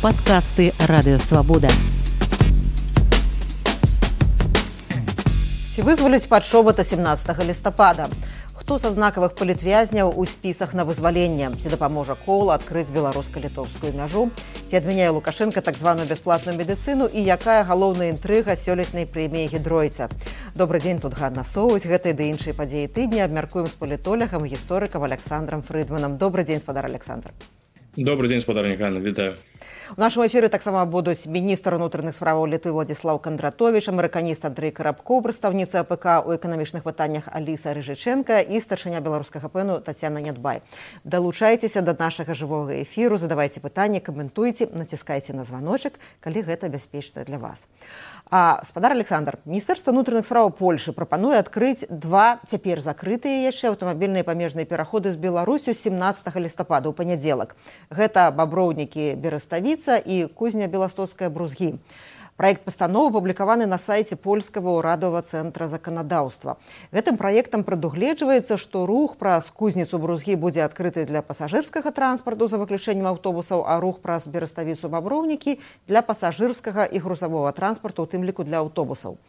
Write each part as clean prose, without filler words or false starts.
Падкасты Радыёвабода. Ці вызваляць Падшобата 17 лістапада? Хто са знакавых палітвязняў у спісах на вызваленне? Ці дапаможа Кола адкрыць беларуска-літоўскую мяжу? Ці адмяняе Лукашенка так званую бясплатную медыцыну? І якая галоўная інтрыга сёлетняй прэміі Гідройца? Добры дзень, тут Ганна Соўваць. Гэтыя ды іншыя падзеі тыдня абмяркуем з палітолагам і гісторыкам Александром Фрыдманам. Добры дзень, спадар Александр. Добрый дзень, спадарня Ганна, вітаю. У нашым эфіры таксама будуць міністр унутраных справаў Літвы Владзіслаў Кандратовіч, амерыканіст Андрэй Карабкоў, прадстаўніца АПК ў эканамічных пытаннях Аліса Рыжычэнка і старшыня беларускага ПЭНу Тацяна Нядбай. Далучайцеся да нашага жывога эфіру, задавайце пытанні, каментуйце, націскайце на званочак, калі гэта бяспечна для вас. Спадар Александр, Міністэрства ўнутраных справаў Польшы прапануе адкрыць два цяпер закрытыя яшчэ аўтамабільныя памежныя пераходы з Беларусю 17 лістапада ў панядзелак. Гэта Баброўнікі Бераставіца і Кузня Беластоцкая Брузгі. Праект пастановы апублікаваны на сайце польскага ўрадавага цэнтра заканадаўства. Гэтым праектам прадугледжваецца, што рух праз Кузніцу Брузгі будзе адкрыты для пасажырскага транспарту за выключэннем аўтобусаў, а рух праз Бераставіцу Баброўнікі для пасажырскага і грузавога транспарту, у тым ліку для аўтобусаў.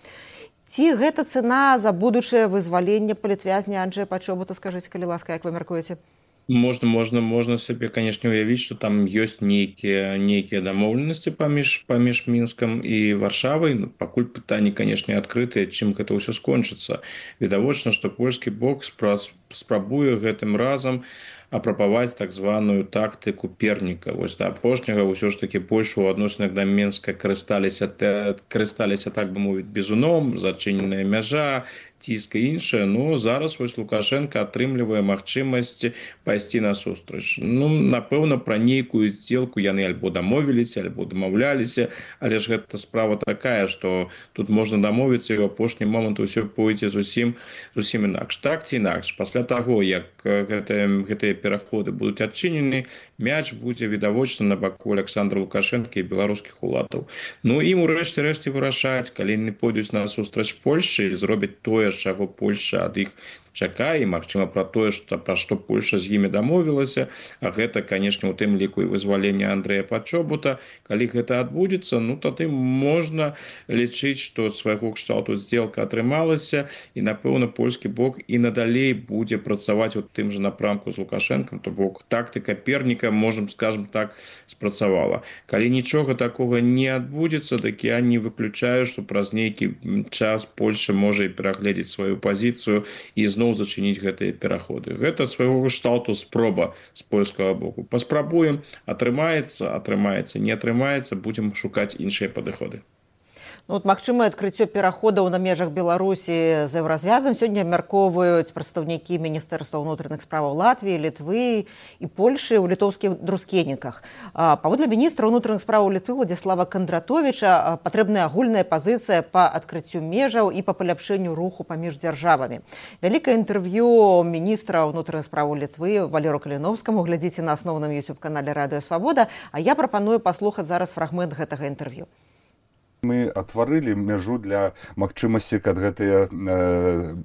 Ці гэта цана за будучае вызваленне палітвязня Анджэя Падшобата, скажыце, калі ласка, як вы мяркуеце? Можна сабе, канешне, уявіць, што там ёсць нейкія дамоўленасці паміж Мінскам і Варшавай. Пакуль пытанні, канешне, адкрытыя, чым гэта ўсё скончыцца. Відавочна, што польскі бок спрабуе гэтым разам апрабаваць так званую тактыку перніка. Вось да апошняга ўсё ж такі Польша ў адносінах да Мінска карысталіся, так бы мовіць, бізуном, зачыненая мяжа, ціск і іншае. Зараз вось Лукашенко атрымлівае магчымасць пайсці насустрач. Напэўна, пра нейкую здзелку яны альбо дамовіліся, альбо дамаўляліся, але ж гэта справа такая, што тут можна дамовіцца, і ў апошні момант усё пойдзе зусім інакш. Так ці інакш, пасля таго, як гэтыя пераходы будуць адчынены, мяч будзе відавочна на баку Александра Лукашенка і беларускіх уладаў. Ім у рэшце вырашаць, калі яны пойдуць насустрач Польшчы і зробяць тое, чаго Польша ад іх чакае, і, магчыма, пра тое, пра што Польша з імі дамовілася, а гэта, канешне, у тым ліку і вызваленне Андрэя Падшобата. Калі гэта адбудзецца, тады можна лічыць, што свайго кшталту здзелка атрымалася, і, напэўна, польскі бок і надалей будзе працаваць у тым жа напрамку з Лукашэнкам, то бок тактыка перніка, скажем так, спрацавала. Калі нічога такога не адбудзецца, так я не выключаю, што праз нейкі час Польша можа і перагледзець сваю пазіцыю і зноў зачыніць гэтыя пераходы. Гэта свайго кшталту спроба з польскага боку. Паспрабуем, атрымаецца, не атрымаецца, будзем шукаць іншыя падыходы. Магчымае адкрыццё пераходаў на межах Беларусі з еўразвязам сёння абмяркоўваюць прадстаўнікі Міністэрства ўнутраных справаў Латвіі, Літвы і Польшы ў літоўскіх друскеніках. Паводле міністра ўнутраных справаў Літвы Владзіслава Кандратовіча патрэбная агульная пазіцыя па адкрыццю межаў і па паляпшэнню руху паміж дзяржавамі. Вялікае інтэрв'ю міністра ўнутраных справаў Літвы Валеру Каліновскаму глядзіце на асноўным YouTube-канале Радыёвабода, а я прапаную паслухаць зараз фрагмент гэтага інтэрв'ю. Мы отварылі мяжу для магчымасці, каб гэтыя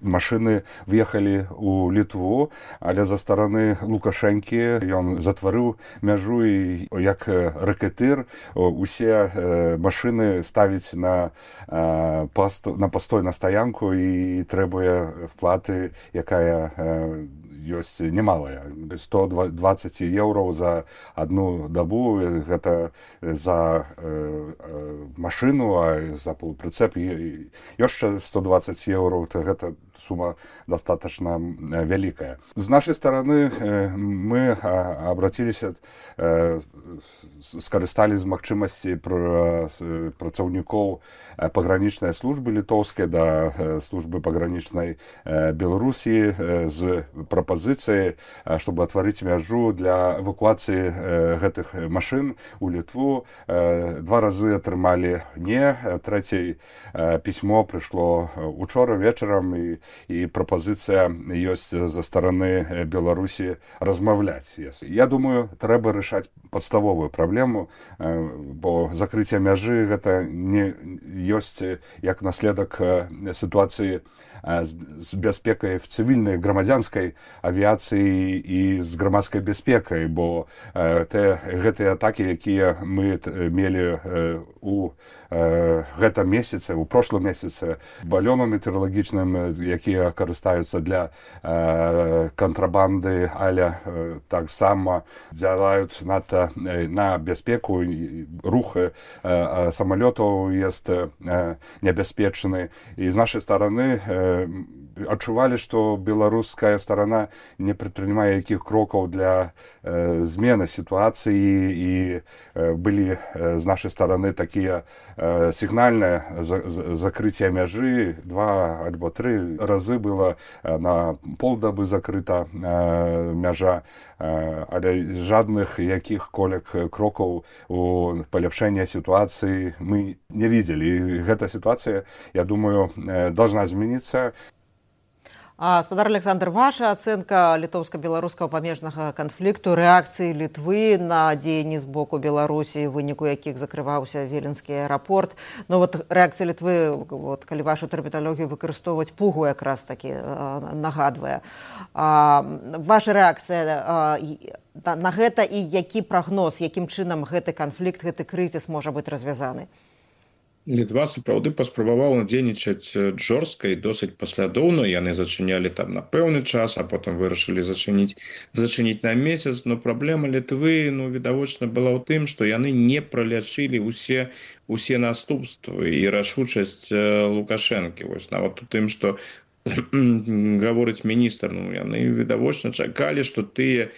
машыны въехалі ў Літву, але за стараны Лукашэнкі ён затварыў мяжу і як рэкетыр усе машыны ставіць на пастой на стаянку і трэбуе вплаты, якая ёсць немалая. 120 еўраў за одну дабу, гэта за машыну, а за полуприцеп яшчэ 120 еўраў, то гэта сума достаточно вялікая. З нашай стороны мы обратиліся, скарысталі з магчымасці працаўнікоў пагранічнай службы літоўскай да службы пагранічнай Беларусі з прапазіцыяй, чтобы отварыць мяжу для эвакуацыі гэтых машын у Літву. Два разы атрымалі не, мне. Третье письмо пришло учора вечером, и пропозиция есть за стороны Беларуси размовлять. Я думаю, треба решать подставовую проблему, бо закрытие мяжи это не есть як наследок ситуации з бяспекай в цывільнай грамадзянскай авіяцыі і з грамадскай бяспекай, бо гэтыя атакі, якія мы мелі у гэтым месяцы, у прошлым месяцы, балёнам метэаролагічным, якія карыстаюцца для кантрабанды, але таксама дзялаюць на бяспеку, рух самалётаў есть небяспечны. І з нашай стороны адчувалі, што беларуская сторона не прадпрымае якіх крокаў для змены сітуацыі, і былі з нашай стороны такія сігнальныя закрыцця мяжы, 2 альбо 3 разы было на полдабы закрыта мяжа, але жадных якіх крокаў у паляпшэння сітуацыі мы не видели. І гэта сітуацыя, я думаю, должна змяниться. Гаспадар Александр, ваша ацэнка літоўска-беларускага памежнага канфлікту, рэакцыі Літвы на дзеянні з боку Беларусі, у выніку якіх закрываўся Віленскі аэрапорт. Ну вот рэакцыя Літвы, калі вашу тэрміналогію выкарыстоўваць, пугу якраз такі нагадвае. Ваша рэакцыя на гэта і які прагноз, якім чынам гэты канфлікт, гэты крызіс можа быць развязаны? Літва сапраўды паспрабавала дзейнічаць жорстка і досыць паслядоўна. Яны зачынялі там на пэўны час, а потым вырашылі зачыніць на месяц. Но праблема Літвы, відавочна, была ў тым, што яны не пралячылі усе наступствы і рашучасць Лукашэнкі. Вось нават у тым, што гаворыць міністр, яны відавочна чакалі, што тыя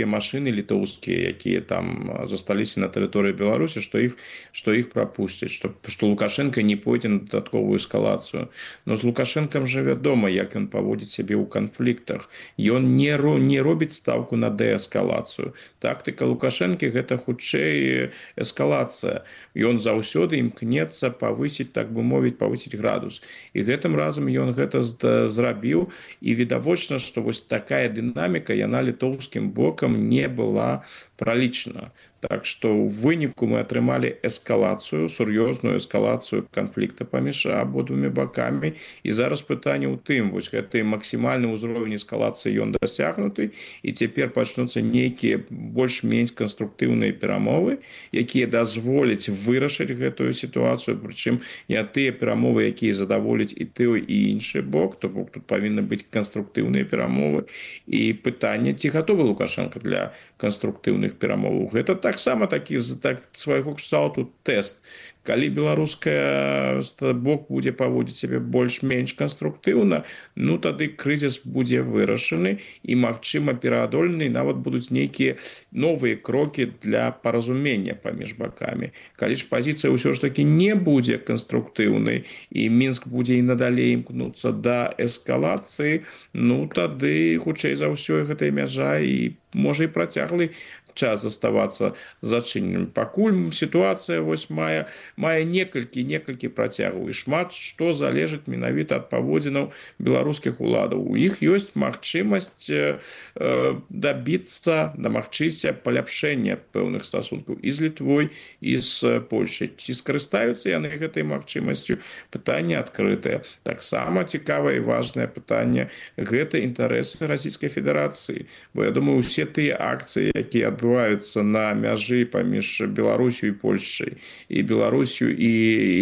машыны літоўскія, якія там засталіся на тэрыторыі Беларусі, што іх прапусцяць, што Лукашенко не пойдзе на дадатковую эскалацыю. Но з Лукашенком жа вядома, як ён паводзіць сябе ў канфліктах. Ён не робіць ставку на дээскалацыю. Тактыка Лукашэнкі гэта хутчэй эскалацыя. Ён заўсёды імкнецца павысіць, так бы мовіць, павысіць градус. І гэтым разам ён гэта зрабіў, і відавочна, што вось такая дынаміка, яна літоўскім бокам не была пралічана. Так што ў выніку мы атрымалі эскалацыю, сур'ёзную эскалацыю канфлікта паміж абодвумі бакамі. І зараз пытанне ў тым, вось гэты максімальны ўзровень эскалацыі ён дасягнуты, і цяпер пачнуцца нейкія больш-менш канструктыўныя перамовы, якія дазволяць вырашыць гэтую сітуацыю, прычым не тыя перамовы, якія задаволяць і той, і іншы бок, то бок тут павінны быць канструктыўныя перамовы. І пытанне, ці гатовы Лукашенко для канструктыўных перамоваў. Гэта таксама такі свайго кшталту тэст. Калі беларуская бок будзе паводзіць сябе больш-менш канструктыўна, тады крызіс будзе вырашаны і, магчыма, пераадолены, нават будуць нейкія новыя крокі для паразумення паміж бакамі. Калі ж пазіцыя ўсё ж такі не будзе канструктыўнай і Мінск будзе і надалей імкнуцца да эскалацыі, тады, хутчэй за ўсё, гэтая мяжа і можа і працяглы час заставацца зачыненым. Пакуль сітуацыя вось мае некалькі працягаў, і шмат што залежыць менавіта ад паводзінаў беларускіх уладаў. У іх ёсць магчымасць дамагчыся паляпшэння пэўных стасункаў і з Літвой, і з Польшай. Ці скарыстаюцца яны гэтай магчымасцю? Пытанне адкрытае. Таксама цікавае і важнае пытанне — гэта інтарэсы Расійскай Федэрацыі. Бо я думаю, усе тыя акцыі, якія адбываюцца на мяжы паміж Беларусю і Польшчай, і Беларусю і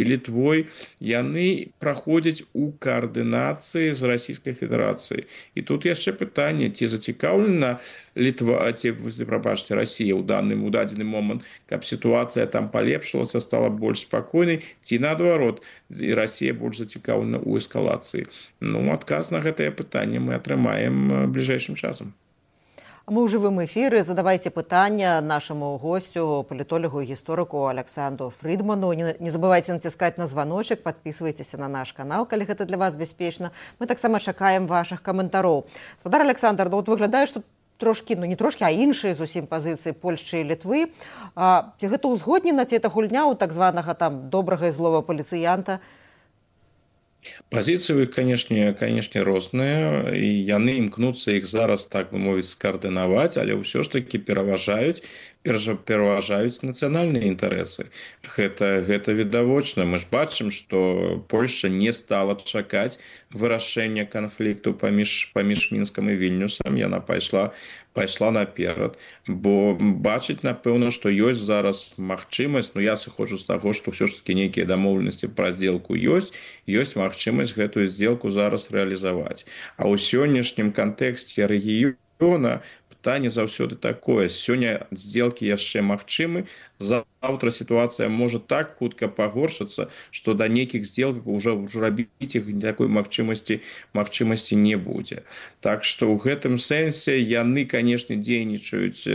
Літвой, яны праходзяць у каардынацыі з Расійскай Федэрацыяй. І тут яшчэ пытанне, ці зацікаўлена Расія ў дадзены момант, каб сітуацыя там палепшылася, стала больш спакойнай, ці наадварот, Расія больш зацікаўлена ў эскалацыі. Адказ на гэтае пытанне мы атрымаем бліжэйшым часам. Мы ў жывым эфіры. Задавайце пытання нашаму госцю, палітолагу і гісторыку Александру Фрідману. Не забывайце націскаць на званочак, падпісвайцеся на наш канал, калі гэта для вас бяспечна. Мы таксама чакаем вашых каментароў. Гаспадар Александр, выглядае, што трошкі, ну не трошкі, а іншыя зусім пазіцыі Польшчы і Літвы. Ці гэта ўзгоднена, ці гэта гульня ў так званага там добрага і злого паліцыянта? Пазіцыі ў іх, канешне, розныя, і яны імкнуцца іх зараз, так бы мовіць, скаардынаваць, але ўсё ж такі пераважаюць нацыянальныя інтарэсы. Гэта відавочна. Мы ж бачым, што Польшча не стала чакаць вырашэння канфлікту паміж Мінскам і Вільнюсам. Яна пайшла наперад, бо бачыць, напэўна, што ёсць зараз магчымасць, я сыходжу з таго, што ўсё ж такі нейкія дамоўленасці пра здзелку ёсць магчымасць гэтую здзелку зараз рэалізаваць. А ў сённяшнім кантэксце рэгіёна пытанне заўсёды такое: сёння здзелкі яшчэ магчымы, заўтра сітуацыя можа так хутка пагоршыцца, што да нейкіх здзелкаў ўжо рабіць іх такой магчымасці не будзе. Так што ў гэтым сэнсе яны, канешне, дзейнічаюць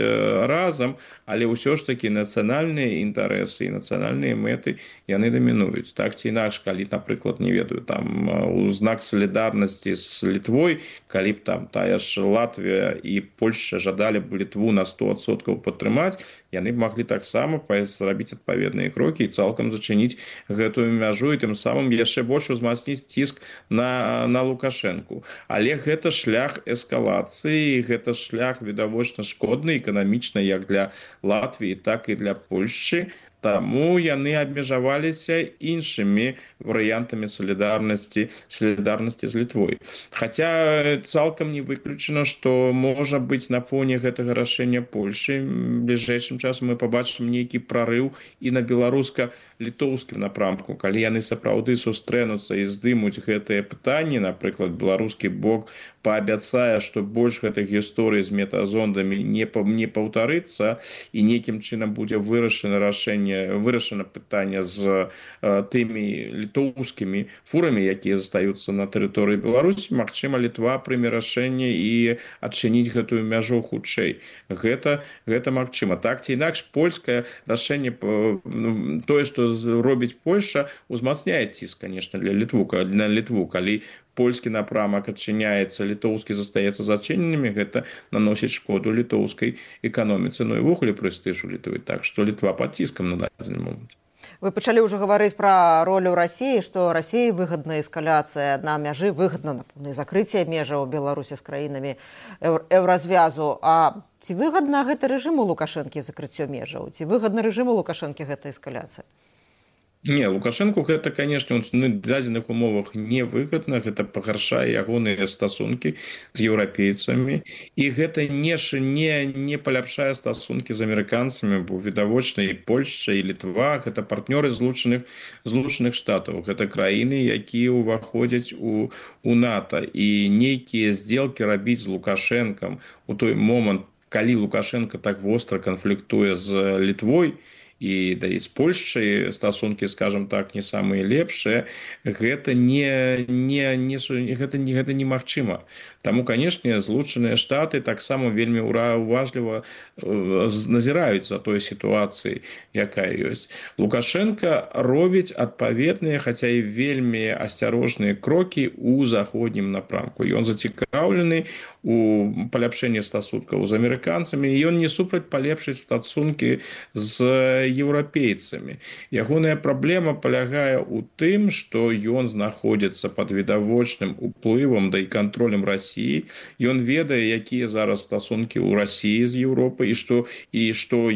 разам, але ўсё ж такі нацыянальныя інтарэсы і нацыянальныя мэты яны дамінуюць. Так ці інакш, калі, напрыклад, не ведаю, там у знак салідарнасці з Літвой, калі б там тая ж Латвія і Польшча жадалі б Літву на 100% падтрымаць, яны б маглі таксама зрабіць адпаведныя крокі і цалкам зачыніць гэтую мяжу і тым самым яшчэ больш узмацніць ціск на Лукашэнку. Але гэта шлях эскалацыі, гэта шлях відавочна шкодны эканамічна як для Латвіі, так і для Польшчы. Таму яны абмежаваліся іншымі варыянтамі салідарнасці з Літвой. Хаця цалкам не выключана, што можа быць на фоне гэтага рашэння Польшчы бліжэйшым часам мы пабачым нейкі прарыў і на беларуска-літоўскім напрамку, калі яны сапраўды сустрэнуцца і здымуць гэтыя пытанні, напрыклад, беларускі бок паабяцае, што больш гэтых гісторый з метазондамі не паўтарыцца і нейкім чынам будзе вырашана пытанне з тымі літоўскімі фурамі, якія застаюцца на тэрыторыі Беларусі. Магчыма, Літва прыме рашэнне і адчыніць гэтую мяжу хутчэй. Гэта магчыма. Так ці інакш, польскае рашэнне, тое, што робіць Польшча, узмацняе ціск, канешне, на Літву. Калі польскі напрамак адчыняецца, літоўскі застаецца зачыненымі, гэта наносіць шкоду літоўскай эканоміцы, і ўвогуле прэстыжу Літвы. Так што Літва пад ціскам на дадзены момант. Вы пачалі ўжо гаварыць пра ролю Расіі, што Расіі выгадна эскаляцыя на мяжы, выгадна, напэўна, закрыцця межаў Беларусі з краінамі еўразвязу. А ці выгадна гэта рэжыму Лукашэнкі закрыццё межаў? Ці выгадна рэжыму Лукашэнкі гэта эскаляцыя? Не, Лукашэнку гэта, канешне, на дадзеных умовах невыгадна, гэта пагаршае ягоныя стасункі з еўрапейцамі, і гэта не паляпшае стасункі з амерыканцамі, бо відавочна і Польшча, і Літва гэта партнёры Злучаных Штатаў, гэта краіны, якія ўваходзяць у НАТО, і нейкія здзелкі рабіць з Лукашэнкам у той момант, калі Лукашенко так востра канфліктуе з Літвой, і з Польшчай стасункі, скажам так, не самыя лепшыя, гэта немагчыма. Таму, канешне, Злучаныя Штаты таксама вельмі уважліва назіраюць за той сітуацыяй, якая ёсць. Лукашенко робіць адпаведныя, хаця і вельмі асцярожныя крокі ў заходнім напрамку. Ён зацікаўлены у паляпшэнні стасункаў з амерыканцамі, і ён не супраць палепшыць стасункі з еўрапейцамі. Ягоная праблема палягае ў тым, што ён знаходзіцца пад відавочным уплывам да і кантролем Расіі. Ён ведае, якія зараз стасункі ў Расіі з Еўропай, і што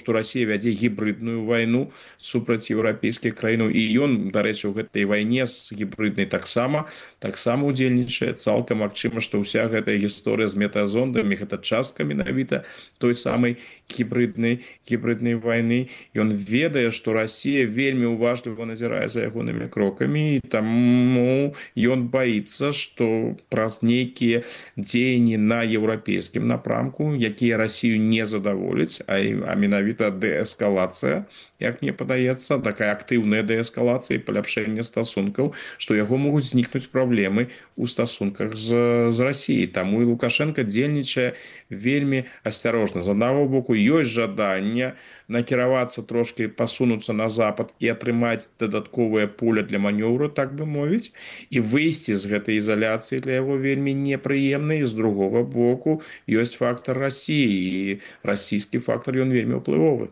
Расія вядзе гібридную вайну супраць еўрапейскіх краінаў. І ён, дарэчы, у гэтай вайне з гібриднай таксама удзельнічае. Цалкам магчыма, што ўся гэтая гісторыя з метазондамі гэта частка менавіта той самай гібриднай вайны. Ён ведае, што Расія вельмі уважліва назірае за ягонымі крокамі, і таму ён баіцца, што праз нейкія дзеянні на еўрапейскім напрамку, якія Расію не задаволяць, а менавіта дээскалацыя, як мне падаецца, такая актыўная дээскалацыя і паляпшэнне стасункаў, што яго могуць знікнуць праблемы ў стасунках з Расіяй. Таму і Лукашенко дзейнічае вельмі асцярожна. З аднаго боку ёсць жаданне накіравацца трошки, пасунуцца на запад і атрымаць дадатковае поле для манёўру, так бы мовіць, і выйсці з гэтай ізаляцыі для яго вельмі непрыемна. І з другога боку ёсць фактор Расіі, і расійскі фактор ён вельмі ўплывовы.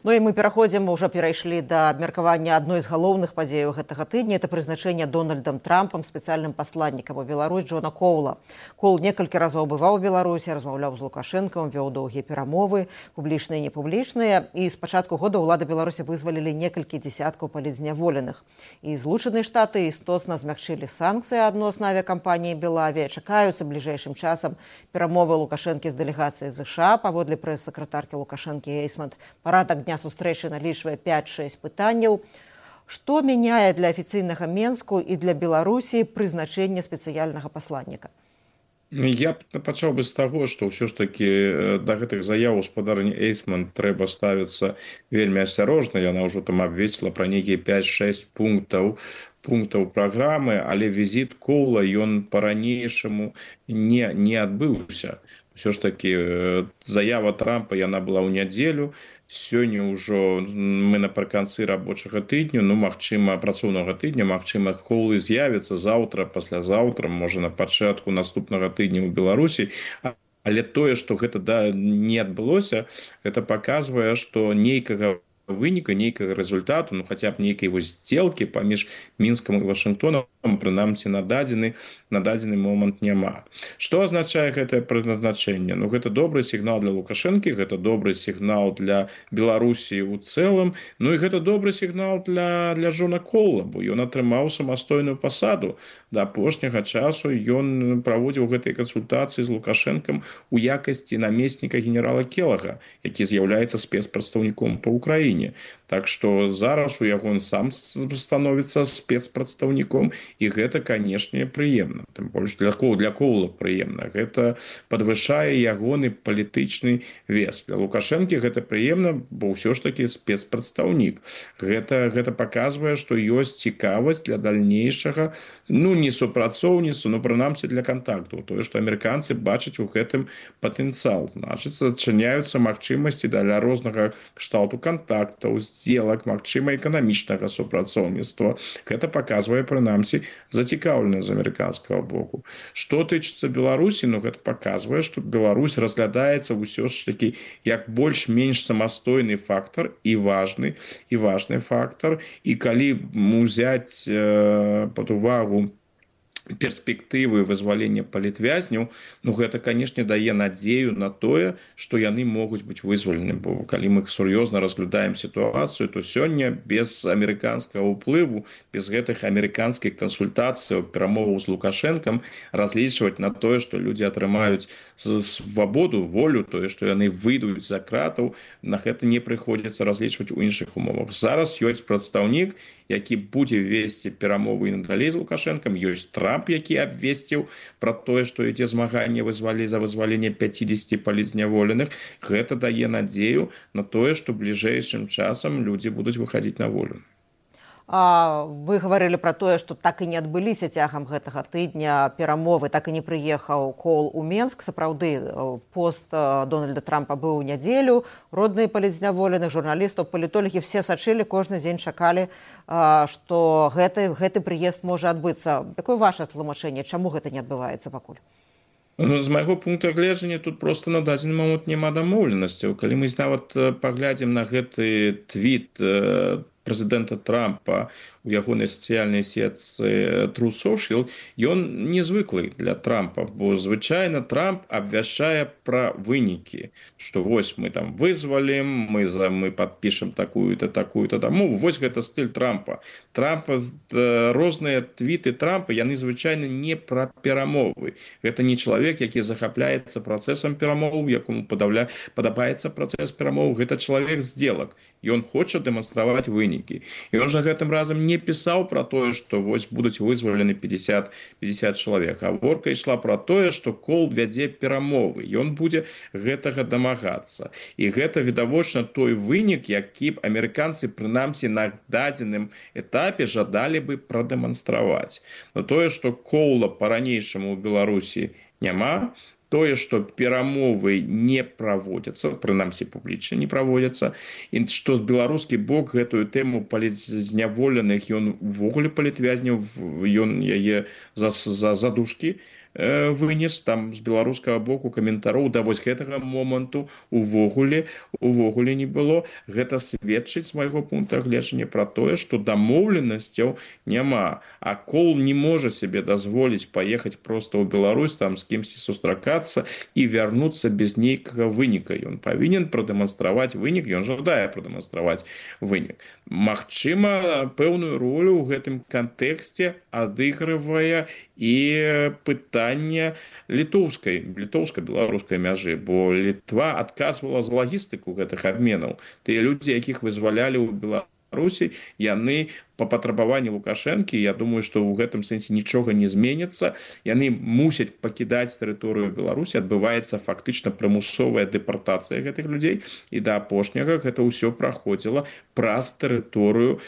Ну і мы ўжо перайшлі да абмеркавання адной з галоўных падзеяў гэтага тыдня. Это прызначэнне Дональдам Трампам спецыяльным пасланнікам у Беларусь Джона Коула. Коул некалькі разоў бываў у Беларусі, размаўляў з Лукашэнкам, вёў доўгія перамовы, публічныя і непублічныя. І з пачатку года ўлады Беларусі вызвалілі некалькі дзесяткаў палітзняволеных. І Злучаныя Штаты істотна змякчылі санкцыі адносна авіякампаніі «Белавія». Чакаюцца бліжэйшым часам перамовы Лукашэнкі з дэлегацыяй ЗША. Паводле прэс-сакратаркі Лукашэнкі Эйсмент, парадак дня сустрэчы налічвае 5-6 пытанняў. Што мяняе для афіцыйнага Менску і для Беларусі прызначэнне спецыяльнага пасланніка? Я пачаў бы з таго, што ўсё ж такі да гэтых заяў гаспадарні Эйсман трэба ставіцца вельмі асцярожна. Яна ўжо там абвесціла пра нейкія 5-6 пунктаў праграмы, але візіт Коула ён па-ранейшаму не адбыўся. Усё ж такі заява Трампа яна была ў нядзелю. Сёння ўжо мы напрыканцы рабочага тыдню, магчыма, працоўнага тыдня, магчыма, Коул з'явіцца заўтра, паслязаўтра, можа, на пачатку наступнага тыдня ў Беларусі. Але тое, што гэта не адбылося, гэта паказвае, што нейкага выніка, нейкага результату, хаця б нейкай здзелкі паміж Мінскам і Вашынгтонам, прынамсі на дадзены момант няма. Што азначае гэтае прызначэнне? Гэта добры сігнал для Лукашэнкі, гэта добры сігнал для Беларусі ў цэлым, і гэта добры сігнал для Джона Коула, бо ён атрымаў самастойную пасаду. Да апошняга часу ён праводзіў гэтыя кансультацыі з Лукашэнкам у якасці намесніка генерала Келага, які з'яўляецца спецпрадстаўніком па Украіне. Так што зараз у яго сам становіцца спецпрадстаўніком, і гэта, канешне, прыемна. Тым больш для Коула прыемна. Гэта падвышае ягоны палітычны вес. Для Лукашэнкі гэта прыемна, бо ўсё ж такі спецпрадстаўнік. Гэта паказвае, што ёсць цікавасць для дальнейшага, не супрацоўніцтва, прынамсі для кантактаў. Тое, што амерыканцы бачаць у гэтым патэнцыял. Значыць, адчыняюцца магчымасці для рознага кшталту кантактаў, здзелак, магчыма, эканамічнага супрацоўніцтва. Гэта паказвае, прынамсі, зацікаўленасць з амерыканскага боку. Што тычыцца Беларусі, гэта паказвае, што Беларусь разглядаецца ўсё ж такі як больш-менш самастойны фактар і важны фактар. І калі узяць пад увагу перспектывы вызвалення палітвязняў, гэта, канешне, дае надзею на тое, што яны могуць быць вызвалены. Бо калі мы сур'ёзна разглядаем сітуацыю, то сёння без амерыканскага ўплыву, без гэтых амерыканскіх кансультацый, перамоваў з Лукашэнкам разлічваць на тое, што людзі атрымаюць свабоду, волю, тое, што яны выйдуць за кратаў, на гэта не прыходзіцца разлічваць у іншых умовах. Зараз ёсць прадстаўнік, які будзе весці перамовы і надалей з Лукашэнкам, ёсць Трамп, які абвесціў пра тое, што ідзе змаганне за вызваленне 50 палітзняволеных. Гэта дае надзею на тое, што бліжэйшым часам людзі будуць выхадзіць на волю. Вы гаварылі пра тое, што так і не адбыліся цягам гэтага тыдня перамовы, так і не прыехаў Коул у Менск. Сапраўды, пост Дональда Трампа быў у нядзелю. Родныя палітзняволеных, журналістаў, палітолагі все сачылі, кожны дзень чакалі, што гэты прыезд можа адбыцца. Якое ваша тлумачэнне, чаму гэта не адбываецца пакуль? З майго пункту гледжання тут просто на дадзены момант няма дамоўленасцяў. Калі мы нават паглядзім на гэты твіт прэзідэнта Трампа у ягонай сацыяльнай сетцы True Social, ён незвыклы для Трампа, бо звычайна Трамп абвяшчае пра вынікі, што вось мы там вызвалім, мы падпішам такую-то дамову. Вось гэта стыль Трампа. Розныя твіты Трампа, яны звычайна не пра перамовы. Гэта не чалавек, які захапляецца працэсам перамоў, якому падабаецца працэс перамоў. Гэта чалавек здзелак. Ён хоча дэманстраваць вынікі. І ён жа гэтым разам не пісаў пра тое, што вось будуць вызвалены 50 чалавек. Гаворка ішла пра тое, што Коул вядзе перамовы. Ён будзе гэтага дамагацца. І гэта відавочна той вынік, які б амерыканцы прынамсі на дадзеным этапе жадалі бы прадэманстраваць. Но тое, што Коула па-ранейшаму ў Беларусі няма, тое, што перамовы не праводзяцца, прынамсі публічна не праводзяцца, і што з беларускі бок гэтую тэму палітзняволеных ён увогуле палітвязняў, ён яе за задушкі вынес, там з беларускага боку каментароў да вось гэтага моманту увогуле не было. Гэта сведчыць з майго пункта гледжання пра тое, што дамоўленасцяў няма, а Кол не можа себе дазволіць паехаць проста ў Беларусь, там з кімсьці сустракацца і вярнуцца без нейкага выніка. Ён павінен прадэманстраваць вынік, ён жадае прадэманстраваць вынік. Магчыма, пэўную ролю ў гэтым кантэксце адыгрывае і пытанне літоўска-беларускай мяжы, бо Літва адказвала за лагістыку гэтых абменаў. Тыя людзі, якіх вызвалялі ў Беларусі, яны па патрабаванні Лукашэнкі, я думаю, што ў гэтым сэнсе нічога не зменіцца. Яны мусяць пакідаць тэрыторыю Беларусі, адбываецца фактычна прымусовая дэпартацыя гэтых людзей, і да апошняга гэта ўсё праходзіла праз тэрыторыю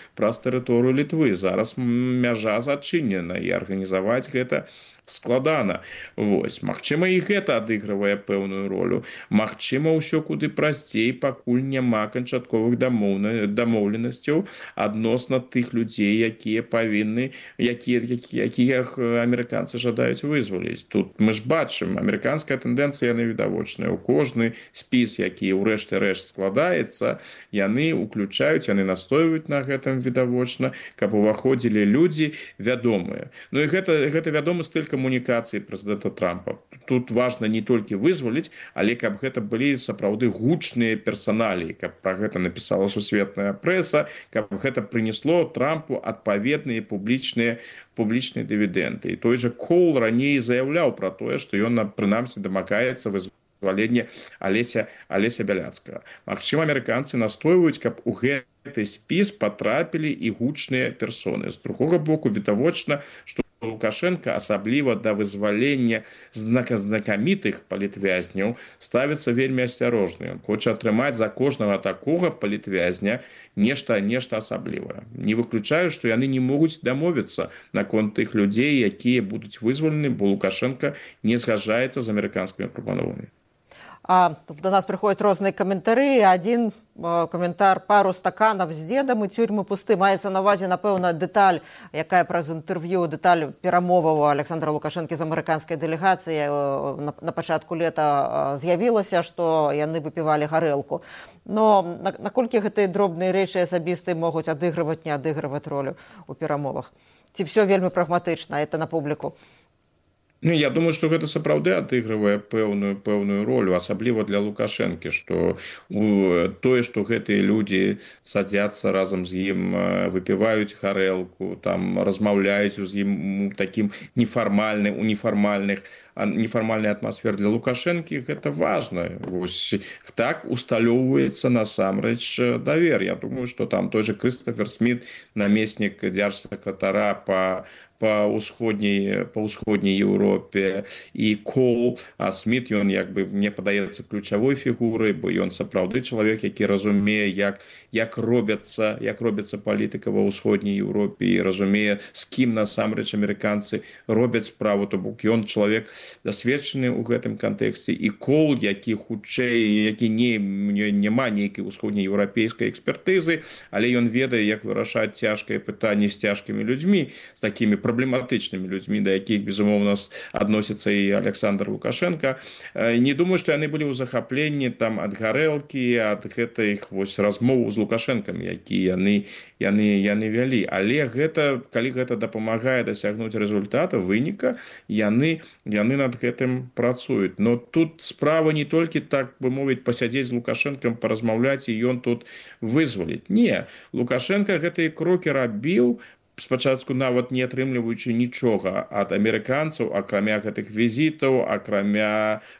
Літвы. Зараз мяжа зачынена, і арганізаваць гэта складана. Вось, магчыма, і гэта адыгрывае пэўную ролю. Магчыма, ўсё куды прасцей, пакуль няма канчатковых дамоўленасцяў адносна тых людзей, якія павінны, якіх амерыканцы жадаюць вызваліць. Тут мы ж бачым, амерыканская тэндэнцыя, яна відавочная. У кожны спіс, які ў рэшце рэшт складаецца, яны ўключаюць, яны настойваюць на гэтым відавочна, каб уваходзілі людзі вядомыя. Ну і гэта вядомы стыль камунікацыі прэзідэнта Трампа. Тут важна не толькі вызваліць, але каб гэта былі сапраўды гучныя персаналіі, каб пра гэта напісала сусветная прэса, каб гэта прынесло Трампу адпаведныя публічныя дывідэнды. І той жа Кол раней заяўляў пра тое, што ён прынамсі дамагаецца вызвалення Алеся Бяляцкага. Магчыма, амерыканцы настойваюць, каб у гэты спіс патрапілі і гучныя персоны. З другога боку, відавочна, што Лукашенко, асабліва да вызвалення знакамітых палітвязняў, ставіцца вельмі асцярожна. Ён хоча атрымаць за кожнага такога палітвязня нешта асаблівае. Не выключаю, што яны не могуць дамовіцца наконт тых людзей, якія будуць вызвалены, бо Лукашенко не згаджаецца з амерыканскімі прапановамі. До нас приходять різні коментарі. Один коментар: пару стаканів з дідом і тюрми пусти. Мається на увазі, напевно, деталь, яка през інтерв'ю, деталь перемову Олександра Лукашенка з американської делегації на початку літа з'явилося, що вони випивали горілку. Но наколькі гэтыя дробныя рэчы асабістыя могуць адыгрываць, не адыгрываць ролю у перамовах? Ці все вельмі прагматычна, это на публіку? Ну, я думаю, што гэта сапраўды адыгрывае пэўную ролю, асабліва для Лукашэнкі, што тое, што гэтыя людзі садзяцца разам з ім, выпіваюць гарэлку, там размаўляюць з ім такім нефармальнай атмасферы, для Лукашэнкі гэта важна. Вось так усталёўваецца насамрэч давер. Я думаю, што там той жа Крыстофер Сміт, намеснік дзяржсакратара па ўсходняй Еўропе, і Кол, а Сміт, ён, як бы, мне падаецца ключавой фігурай, бо ён сапраўды чалавек, які разумее, як робяцца палітыка ва ўсходняй Еўропе, і разумее, з кім насамрэч амерыканцы робяць справу, то бок ён чалавек дасведчаны ў гэтым кантэксце. І Кол, які хутчэй, які няма нейкай усходнееўрапейскай экспертызы, але ён ведае, як вырашаць цяжкае пытанне з цяжкімі людзьмі, з такімі праблематычнымі людзьмі, да якіх, безумоўна, адносіцца і Александр Лукашенко. Не думаю, што яны былі ў захапленні там ад гарэлкі, ад гэтых вось размоў з Лукашэнкам, які яны вялі. Але гэта, калі гэта дапамагае дасягнуць рэзультата, выніка, яны над гэтым працуюць. Но тут справа не толькі, так бы мовіць, пасядзець з Лукашэнкам, паразмаўляць, і ён тут вызваліць. Не, Лукашенко гэтыя крокі рабіў, спачатку нават не атрымліваючы нічога ад амерыканцаў, акрамя гэтых візітаў, акрамя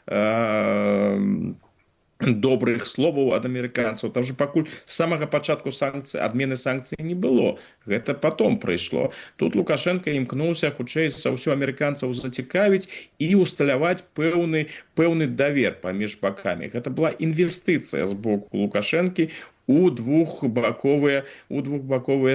добрых словаў ад амерыканцаў. Там же пакуль з самага пачатку адмены санкцый не было. Гэта потом прыйшло. Тут Лукашенко імкнуўся хутчэй за ўсё амерыканцаў зацікавіць і усталяваць пэўны давер паміж бакамі. Гэта была інвестыцыя з боку Лукашэнкі у двухбаковыя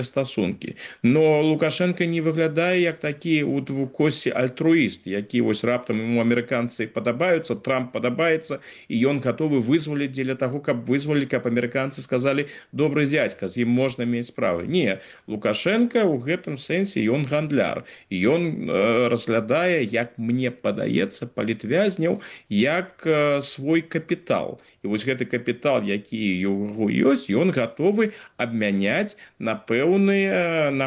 стасункі. Но Лукашенко не выглядае як такі у двукосі альтруіст, які вось раптам ему амерыканцы падабаюцца, Трамп падабаецца, і ён гатовы вызваліць дзеля таго, каб вызвалілі, каб амерыканцы сказалі: добры дзядзька, з ім можна мець справы. Не, Лукашенко ў гэтым сэнсе ён гандляр, і ён разглядае, як мне падаецца, палітвязняў як свой капітал. І вось гэты капітал, які ў яго ёсць, ён гатовы абмяняць на пэўныя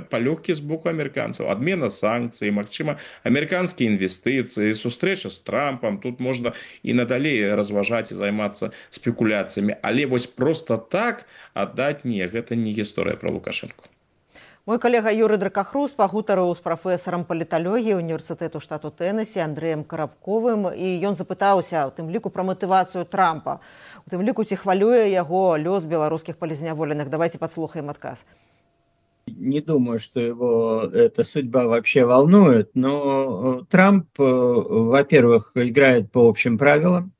палёгкі з боку амерыканцаў. Адмена санкцый, магчыма, амерыканскія інвестыцыі, сустрэча з Трампам. Тут можна і надалей разважаць і займацца спекуляцыямі. Але вось проста так аддаць не, гэта не гісторыя пра Лукашенко. Мой калега Юрый Дракахрус пагутарыў з прафесарам паліталогіі універсітэту штату Тэнесі Андрэем Карабковым, і ён запытаўся, у тым ліку, пра матывацыю Трампа. У тым ліку, ці хвалюе яго лёс беларускіх палізняволеных. Давайте подслухаем адказ. Не думаю, что его эта судьба вообще волнует, но Трамп, во-первых, играет по общим правилам.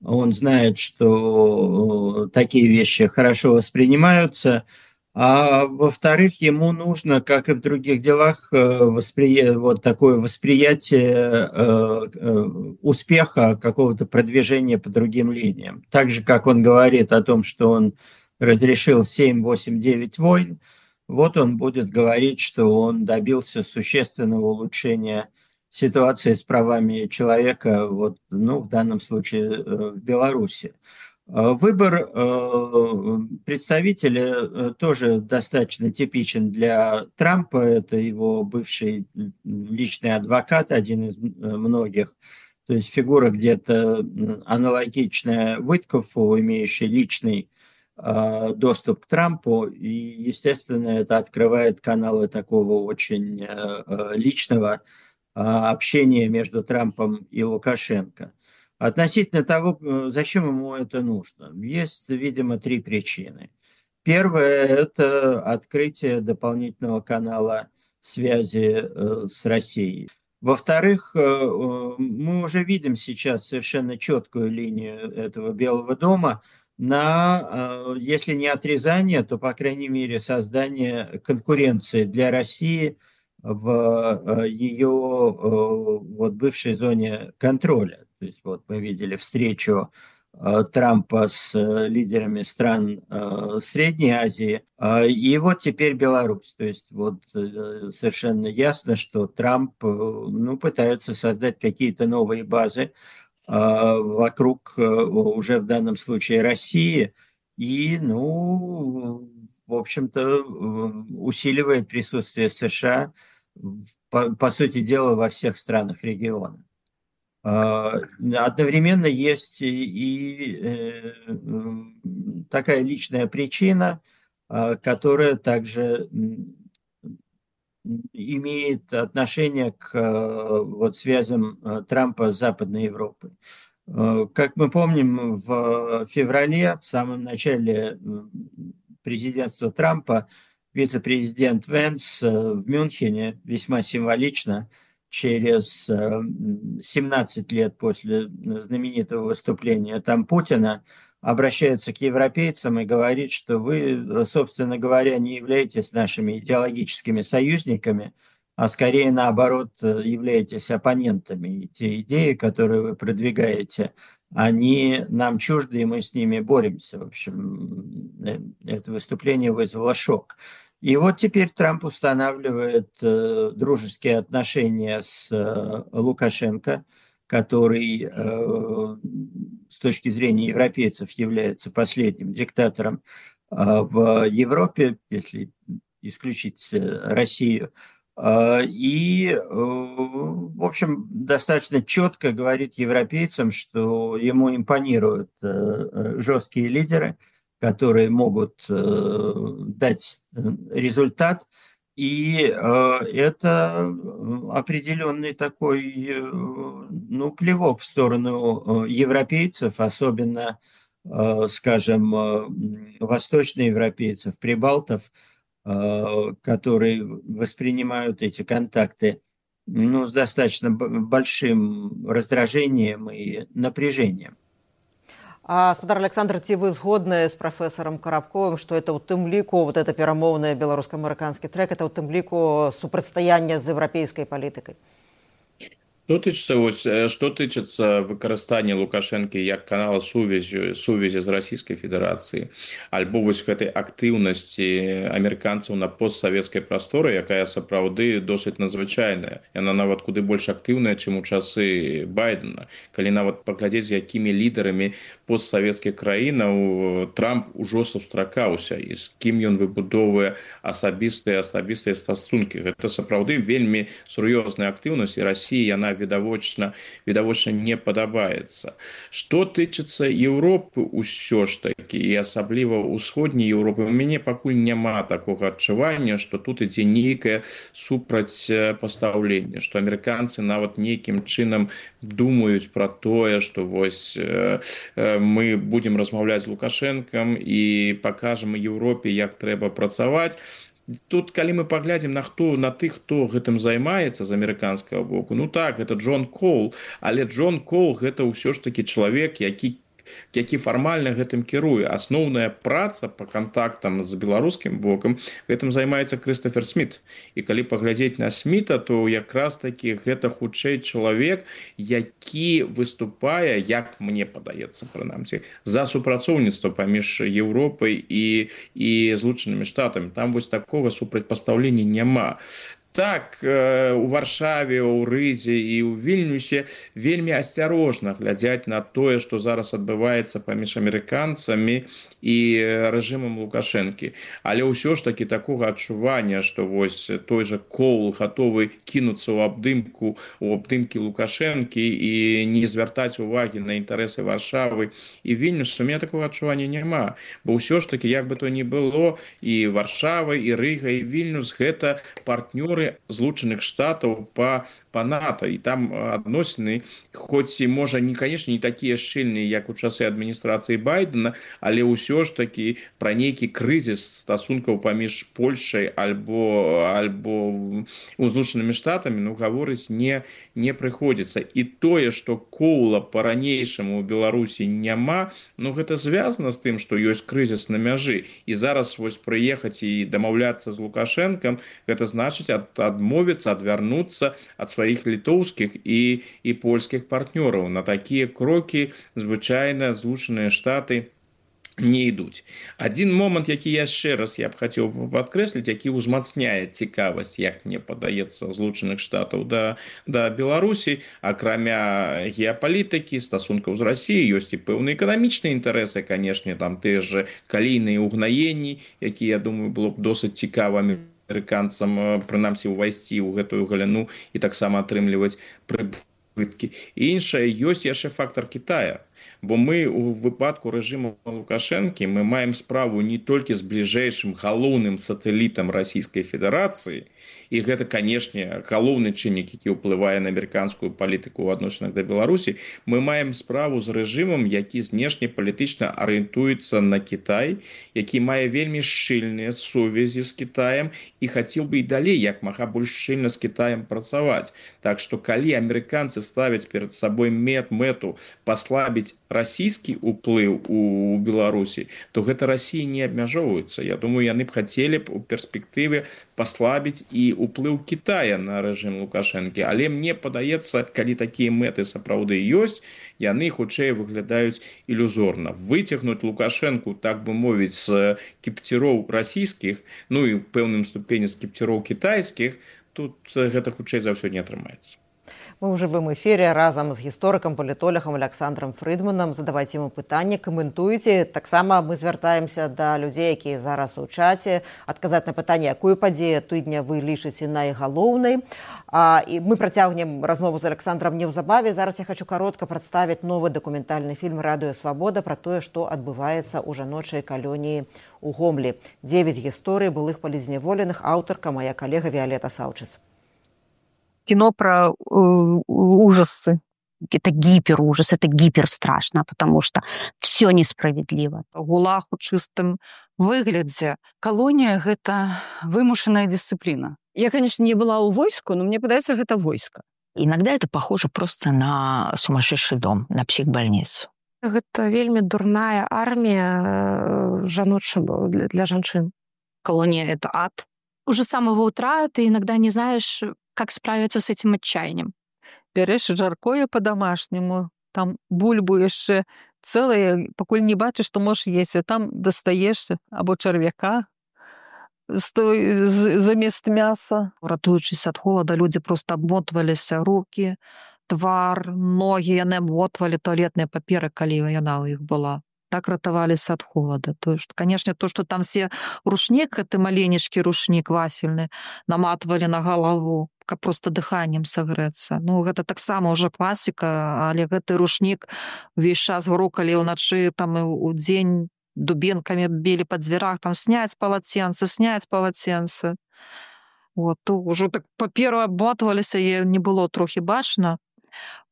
Он знает, что такие вещи хорошо воспринимаются. А во-вторых, ему нужно, как и в других делах, вот такое восприятие успеха, какого-то продвижения по другим линиям. Так же, как он говорит о том, что он разрешил 7, 8, 9 войн, вот он будет говорить, что он добился существенного улучшения ситуации с правами человека, вот, ну, в данном случае в Беларуси. Выбор представителя тоже достаточно типичен для Трампа. Это его бывший личный адвокат, один из многих. То есть фигура где-то аналогичная Уиткофу, имеющая личный доступ к Трампу. И, естественно, это открывает каналы такого очень личного общения между Трампом и Лукашенко. Относительно того, зачем ему это нужно, есть, видимо, три причины. Первое – это открытие дополнительного канала связи с Россией. Во-вторых, мы уже видим сейчас совершенно четкую линию этого Белого дома на, если не отрезание, то, по крайней мере, создание конкуренции для России в ее вот, бывшей зоне контроля. То есть вот мы видели встречу Трампа с лидерами стран Средней Азии, и вот теперь Беларусь. То есть вот совершенно ясно, что Трамп пытается создать какие-то новые базы вокруг уже в данном случае России и, в общем-то, усиливает присутствие США, по сути дела, во всех странах региона. Одновременно есть и такая личная причина, которая также имеет отношение к вот связям Трампа с Западной Европой. Как мы помним, в феврале, в самом начале президентства Трампа, вице-президент Венс в Мюнхене весьма символично через 17 лет после знаменитого выступления там Путина обращается к европейцам и говорит, что вы, собственно говоря, не являетесь нашими идеологическими союзниками, а скорее наоборот являетесь оппонентами. И те идеи, которые вы продвигаете, они нам чужды, и мы с ними боремся. В общем, это выступление вызвало шок. И вот теперь Трамп устанавливает дружеские отношения с Лукашенко, который с точки зрения европейцев является последним диктатором в Европе, если исключить Россию. И, в общем, достаточно четко говорит европейцам, что ему импонируют жесткие лидеры, которые могут дать результат. И это определенный такой, клевок в сторону европейцев, особенно, скажем, восточноевропейцев, прибалтов, которые воспринимают эти контакты с достаточно большим раздражением и напряжением. Спадар Александр, ці вы згодны з прафесарам Карабковым, што это ў тым ліку, вот это перамоўны беларуска-амерыканскі трэк, это ў тым ліку супрацьстаяння з еўрапейскай палітыкай? Что тычыцца выкарыстання Лукашэнкі як канала сувязі з Расійскай Федэрацыі, альбо вось гэтай актыўнасці амерыканцаў на постсавецкай прасторы, якая сапраўды досыць надзвычайная. Яна нават куды больш актыўная, чым у часы Байдена. Калі нават паглядзець, з якімі лідарамі постсавецкіх краінаў Трамп ужо сустракаўся і з кім ён выбудоўвае асабістыя стасункі. Гэта сапраўды вельмі сур'ёзная актыўнасць, і Расіі яна відавочна не падабаецца. Што тычыцца Еўропы ўсё ж такі, і асабліва ўсходняй Еўропы, у мяне пакуль няма такога адчування, што тут ідзе нейкае супрацьпастаўленне, што амерыканцы нават нейкім чынам думаюць пра тое, што вось мы будзем размаўляць з Лукашэнкам і пакажам Еўропе, як трэба працаваць. Тут, калі мы паглядзім на тых, хто гэтым займаецца з амерыканскага боку, ну так, гэта Джон Коул, але Джон Коул гэта ўсё ж такі чалавек, які фармальна гэтым кіруе. Асноўная праца па кантактам з беларускім бокам гэтым займаецца Крыстафер Сміт. І калі паглядзець на Сміта, то якраз такі гэта хутчэй чалавек, які выступае, як мне падаецца прынамсі, за супрацоўніцтва паміж Еўропай і Злучанымі Штатамі. Там вось такога супрацьпастаўлення няма. Так, у Варшаве, у Рызе і ў Вільнюсе вельмі асцярожна глядзяць на тое, што зараз адбываецца паміж амерыканцамі і рэжымам Лукашэнкі. Але ўсё ж такі такога адчування, што вось той жа Коул гатовы кінуцца ў абдымкі Лукашэнкі і не звяртаць увагі на інтарэсы Варшавы і Вільнюса, у мяне такога адчування няма. Бо ўсё ж такі, як бы то ні было, і Варшава, і Рыга, і Вільнюс гэта партнёры Злучаных Штатаў па НАТО, і там адносіны, хоць і можа канешне не такія шчыльныя, як у часы адміністрацыі Байдена, але ўсё ж такі пра нейкі крызіс стасункаў паміж Польшай альбо Злучанымі Штатамі гаворыць не прыходзіцца. І тое, што Коула па-ранейшаму ў Беларусі няма, гэта звязана з тым, што ёсць крызіс на мяжы, і зараз вось прыехаць і дамаўляцца з Лукашэнкам, гэта значыць адмовіцца, адвярнуцца ад сваіх літоўскіх і польскіх партнёраў. На такія крокі звычайна Злучаныя Штаты не ідуць. Адзін момант, які яшчэ раз я б хацеў падкрэсліць, які ўзмацняе цікавасць, як мне падаецца, Злучаных Штатаў да Беларусі, акрамя геапалітыкі, стасункаў з Расіяй, ёсць і пэўныя эканамічныя інтарэсы, канешне, там тыя ж калійныя ўгнаенні, якія, я думаю, было б досыць цікавымі амерыканцам, прынамсі, увайсці ў гэтую галіну і таксама атрымліваць прыбыткі. І іншае, ёсць яшчэ фактар Кітая. Бо мы у выпадку рэжыму Лукашэнкі мы маем справу не толькі з бліжэйшым галоўным сатэлітам Расійскай Федэрацыі, і гэта, канешне, галоўны чыннік, які ўплывае на амерыканскую палітыку ў адносінах да Беларусі, мы маем справу з рэжымам, які знешнепалітычна арыентуецца на Кітай, які мае вельмі шчыльныя сувязі з Кітаем і хацеў бы і далей як мага больш шчыльна з Кітаем працаваць. Так што калі амерыканцы ставяць перад сабой мэту паслабіць расійскі ўплыў у Беларусі, то гэта Расіі не абмяжоўваецца. Я думаю, яны б хацелі б у перспектыве паслабіць і ўплыў Кітая на рэжым Лукашэнкі. Але мне падаецца, калі такія мэты сапраўды ёсць, яны хутчэй выглядаюць ілюзорна. Выцягнуць Лукашэнку, так бы мовіць, з кіпціроў расійскіх, і ў пэўным ступені з кіпціроў кітайскіх, тут гэта хутчэй за ўсё не атрымаецца. Мы ў жывым эфіры разам з гісторыкам, палітолагам Александром Фрыдманам. Задавайце ему пытанні, каментуйце. Таксама мы звяртаемся да людзей, якія зараз у чаце, адказаць на пытанне, якую падзею тыдня вы лічыце найгалоўнай. І мы працягнем размову з Александром неўзабаве. Зараз я хочу каротка прадставіць новы дакументальны фільм «Радыё Свабода» пра тое, што адбываецца ў жаночай калоніі ў Гомлі. 9 гісторый былых палізняволеных, аўтарка моя калега Виолетта Саўчыц. Кино про ужасы. Это гиперужас, это гиперстрашно, потому что все несправедливо. ГУЛАГ у чистым выглядзе. Колония – это вымушенная дисциплина. Я, конечно, не была у войску, но мне подается, это войско. Иногда это похоже просто на сумасшедший дом, на психбольницу. Гэта вельмі дурная армія для жанчын. Колония — это ад. Уже с самого утра ты иногда не знаешь, как справиться с этим отчаянием. Бярэш жаркое по-домашняму, там бульбу яшчэ цэлае, пакуль не бачыш, што можаш есці, там дастаеш або чарвяка замест мяса. Ратуючись ад холода, людзі проста абмотваліся рукі, твар, ногі, яны абмотвалі туалетныя паперы, калі яна ў іх была. Так ратаваліся ад холода. То есть, канешне, то, што там все рушнік, гэты маленечкі рушнік вафельны, наматвалі на галаву, каб проста дыханнем сагрэцца. Ну, гэта таксама ўжо класіка, але гэты рушнік увесь час грукалі ўначы, там і ў дзень дубенкамі білі па дзвярах, там сняць палаценцы. Вот, то ўжо так паперу абмотваліся, і не было трохі бачна.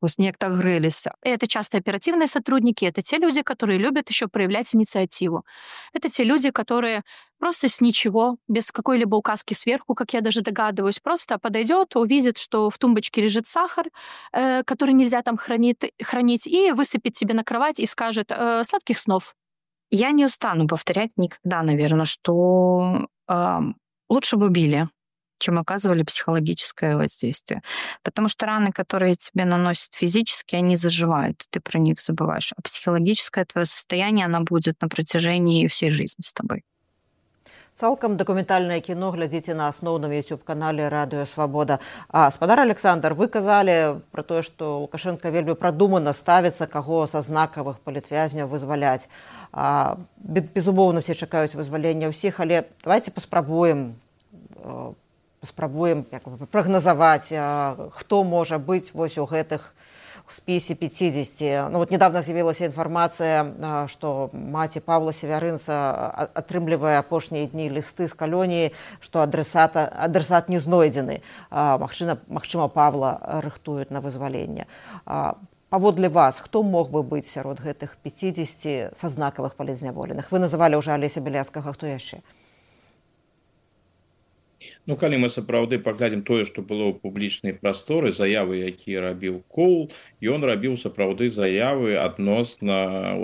Вот неяк так грэліся. Это часто оперативные сотрудники, это те люди, которые любят еще проявлять инициативу. Это те люди, которые просто с ничего, без какой-либо указки сверху, как я даже догадываюсь, просто подойдет, увидит, что в тумбочке лежит сахар, который нельзя там хранить, и высыпет себе на кровать и скажет «сладких снов». Я не устану повторять никогда, наверное, что лучше бы убили, чем оказывали психологическое воздействие. Потому что раны, которые тебе наносят физически, они заживают, ты про них забываешь. А психологическое твое состояние, оно будет на протяжении всей жизни с тобой. Цалкам дакументальнае кіно глядзіце на асноўным YouTube-канале Радыё Свабода. Спадар Александр, вы казалі пра тое, што Лукашенко вельмі прадумана ставіцца, каго са знакавых палітвязняў вызваляць. Безумоўна, все чакаюць вызвалення ўсіх, але давайте паспрабуем прагназаваць, хто можа быць вось у гэтых спісе 50. Ну, вот недавно з'явілася інфармацыя, што маці Павла Севярынца атрымлівае апошнія дні лісты з калоніі, што адресат не знойдзены. Магчыма, Павла рыхтуюць на вызваленне. Паводле вас, хто мог бы быць сярод гэтых 50 са знакавых палізняволеных? Вы называлі ўжо Алеся Бяляцкага, хто яшчэ? Ну, калі мы сапраўды паглядзім тое, што было ў публічнай прасторы, заявы, якія рабіў Коул, ён рабіў сапраўды заявы адносна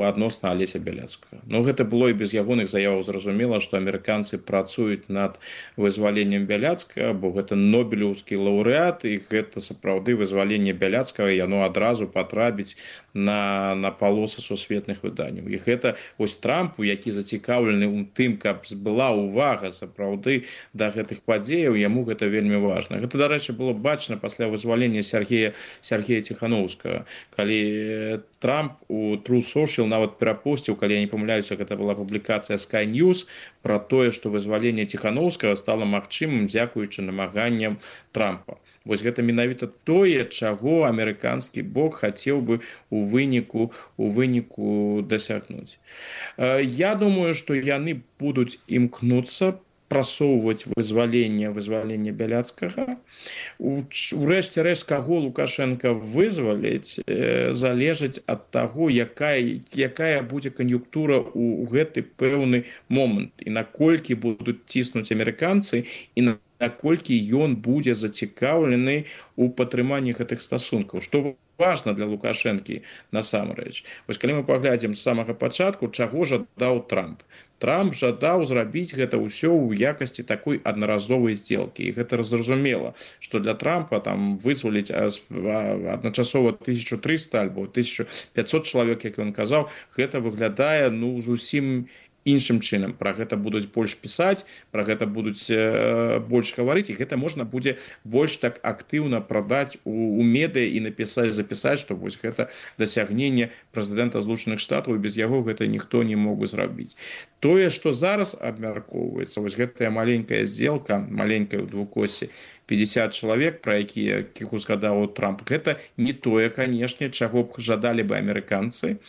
Алеся Бяляцкага. Ну, гэта было і без ягоных заяваў зразумела, што амерыканцы працуюць над вызваленнем Бяляцкага, бо гэта нобелеўскі лаўрэат, і гэта сапраўды вызваленне Бяляцкага, яно адразу патрапіць на палосы сусветных выданняў. І гэта вось Трампу, які зацікаўлены ў тым, каб была ўвага сапраўды да гэтых падзеяў, яму гэта вельмі важна. Гэта, дарэчы, было бачна пасля вызвалення Сергея Ціханаўскага, калі Трамп у True Social нават перапосціў, калі я не памыляюся, гэта была публікацыя Sky News пра тое, што вызваленне Ціханаўскага стала магчымым дзякуючы намаганням Трампа. Вось гэта менавіта тое, чаго амерыканскі бок хацеў бы у выніку дасягнуць. Я думаю, што яны будуць імкнуцца прасоўваць вызваленне Бяляцкага. Урэшце рэшт, каго Лукашенко вызваліць, залежыць ад таго, якая будзе кан'юнктура ў гэты пэўны момант, і наколькі будуць ціснуць амерыканцы, і наколькі ён будзе зацікаўлены ў падтрыманні гэтых стасункаў. Што важна для Лукашэнкі насамрэч. Вось калі мы паглядзім з самага пачатку, чаго жадаў Трамп. Трамп жадаў зрабіць гэта ўсё ў якасці такой аднаразовай здзелкі. І гэта зразумела, што для Трампа там вызваліць адначасова 1300 альбо 1500 чалавек, як ён казаў, гэта выглядае зусім іншым чынам. Пра гэта будуць больш пісаць, пра гэта будуць больш гаварыць, і гэта можна будзе больш так актыўна прадаць у медыа і запісаць, што вось гэта дасягненне прэзідэнта Злучаных Штатаў, і без яго гэта ніхто не мог бы зрабіць. Тое, што зараз абмяркоўваецца, вось гэтая маленькая здзелка, маленькая ў двукосе, 50 чалавек, пра якіх узгадаў Трамп, гэта не тое, канешне, чаго б жадалі бы амерыканцы,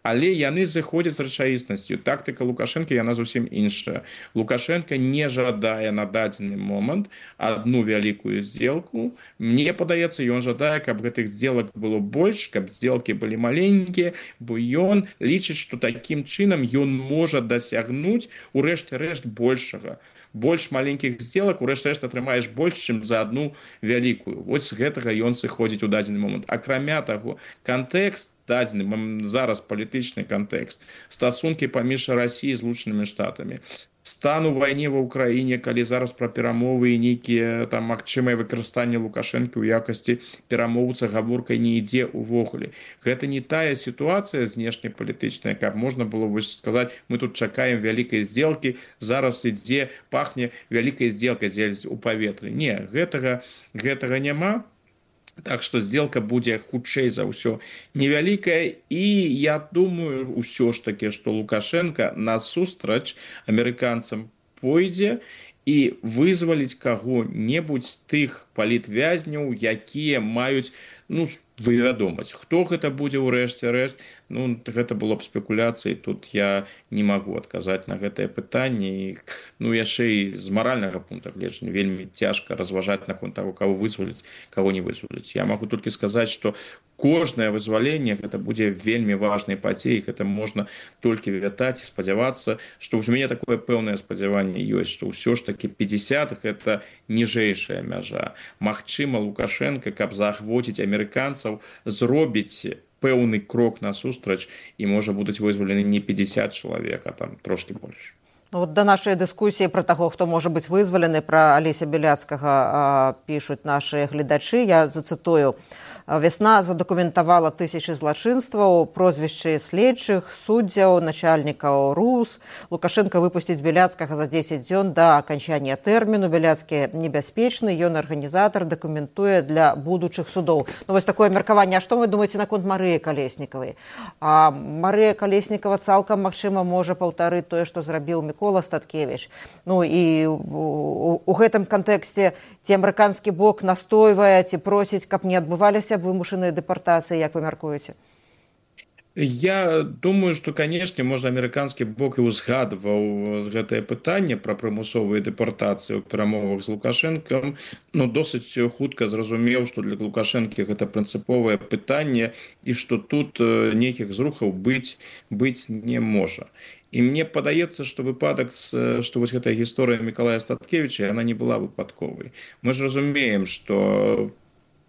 але яны зыходзяць з рэчаіснасцю. Тактыка Лукашэнкі, яна зусім іншая. Лукашенко не жадае на дадзены момант адну вялікую здзелку. Мне падаецца, ён жадае, каб гэтых здзелак было больш, каб здзелкі былі маленькія, бо ён лічыць, што такім чынам ён можа дасягнуць у рэшце-рэшт большага. Больш маленькіх здзелак, у рэшце-рэшт атрымаеш больш, чым за адну вялікую. Вось з гэтага ён сыходзіць у дадзены момант. Акрамя таго, кантэкст дадзены зараз палітычны кантэкст, стасункі паміж Расіяй і Злучанымі Штатамі, стан у вайне ва ўкраіне, калі зараз пра перамовы і нейкія там магчымае выкарыстанне Лукашэнкі ў якасці перамоўца гаворкай не ідзе ўвогуле. Гэта не тая сітуацыя знешнепалітычная, каб можна было сказаць, мы тут чакаем вялікай здзелкі, зараз ідзе, пахне вялікай здзелкай у паветры. Не, гэтага няма. Так што здзелка будзе хутчэй за ўсё невялікая, і я думаю ўсё ж такі, што Лукашенко насустрач амерыканцам пойдзе і вызваліць каго-небудзь з тых палітвязняў, якія маюць вывядомасць. Хто гэта будзе ў рэшце рэшт? Гэта было б спекуляцыяй, тут я не магу адказаць на гэтае пытанне. Яшчэ і з маральнага пункта гледжання вельмі цяжка разважаць наконт таго, каго вызваліць, каго не вызваліць. Я магу толькі сказаць, што кожнае вызваленне гэта будзе вельмі важнай падзеяй, гэта можна толькі вітаць і спадзявацца, што ў мяне такое пэўнае спадзяванне ёсць, што ўсё ж такі 50 гэта ніжэйшая мяжа. Магчыма, Лукашенко, каб заахвоціць амерыканцаў, зробіць пэўны крок насустрач, і можа будуць вызвалены не 50 чалавек, а там трошкі больш. Да нашай дыскусіі пра таго, хто можа быць вызвалены, пра Алеся Беляцкага пішуць нашы гледачы. Я зацытую. Вясна задакументавала тысячы злачынстваў, прозвішчы следчых, суддзяў, начальнікаў РУС. Лукашенко выпусціць Беляцкага за 10 дзён да аканчання тэрміну. Беляцкі небяспечны, ён арганізатар, дакументуе для будучых судоў. Вось такое меркаванне. А што вы думаеце наконт Марыі Калеснікавай? Марыя Калеснікава цалкам, магчыма, можа паўтарыць тое, што зрабіў Мікола Статкевіч. І у гэтым кантэксце ці амерыканскі бок настойвае, ці просіць, каб не адбываліся вымушаныя дэпартацыі, як вы мяркуеце? Я думаю, што, канешне, можа, амерыканскі бок і ўзгадваў гэтае пытанне пра прымусовыя дэпартацыі ў перамовах з Лукашэнкам, досыць хутка зразумеў, што для Лукашэнкі гэта прынцыповае пытанне і што тут нейкіх зрухаў быць не можа. І мне падаецца, што выпадак, што вось гэтая гісторыя Мікалая Статкевіча, яна не была выпадковай. Мы ж разумеем, што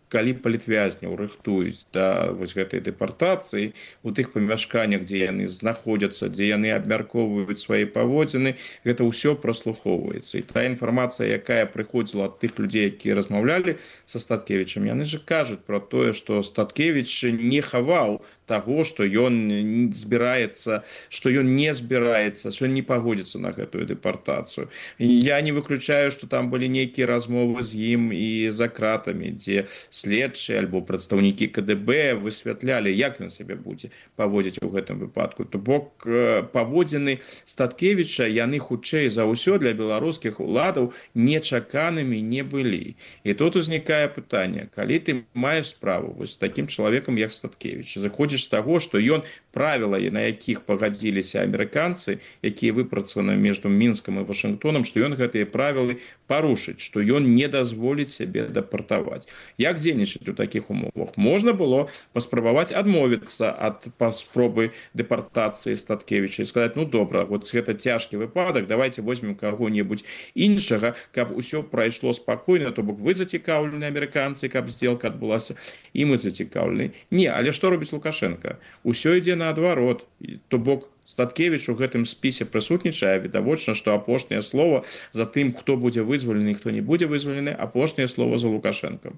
калі палітвязняў рыхтуюць да вось гэтай дэпартацыі, у тых памяшканнях, дзе яны знаходзяцца, дзе яны абмяркоўваюць свае паводзіны, гэта ўсё праслухоўваецца. І та інфармацыя, якая прыходзіла ад тых людзей, якія размаўлялі са Статкевічам, яны ж кажуць пра тое, што Статкевіч не хаваў таго, што ён не збіраецца, што ён не пагодзіцца на гэтую дэпартацыю. Я не выключаю, што там былі нейкія размовы з ім і за кратамі, дзе следчыя альбо прадстаўнікі КДБ высвятлялі, як ён сябе будзе паводзіць у гэтым выпадку. То бок паводзіны Статкевіча, яны хутчэй за ўсё для беларускіх уладаў нечаканымі не былі. І тут узнікае пытанне, калі ты маеш справу вось з такім чалавекам, як Статкевіч, заходзіш з таго, што ён правіла, на якіх пагадзіліся амерыканцы, якія выпрацаваны між Мінскам і Вашынгтонам, што ён гэтыя правілы парушыць, што ён не дазволіць сябе дэпартаваць. Як дзейнічаць у такіх умовах? Можна было паспрабаваць адмовіцца ад спробы дэпартацыі Статкевіча і сказаць, добра, вот гэта цяжкі выпадак, давайте возьмем каго-небудзь іншага, каб усё прайшло спакойна, то бок вы зацікаўлены, амерыканцы, каб здзелка адбылася, і мы зацікаўлены. Не, але што робіць Лукашенко? Усё ідзе наадварот. То бок Статкевіч у гэтым спісе прысутнічае, відавочна, што апошняе слова за тым, хто будзе вызвалены і хто не будзе вызвалены, апошняе слова за Лукашэнкам.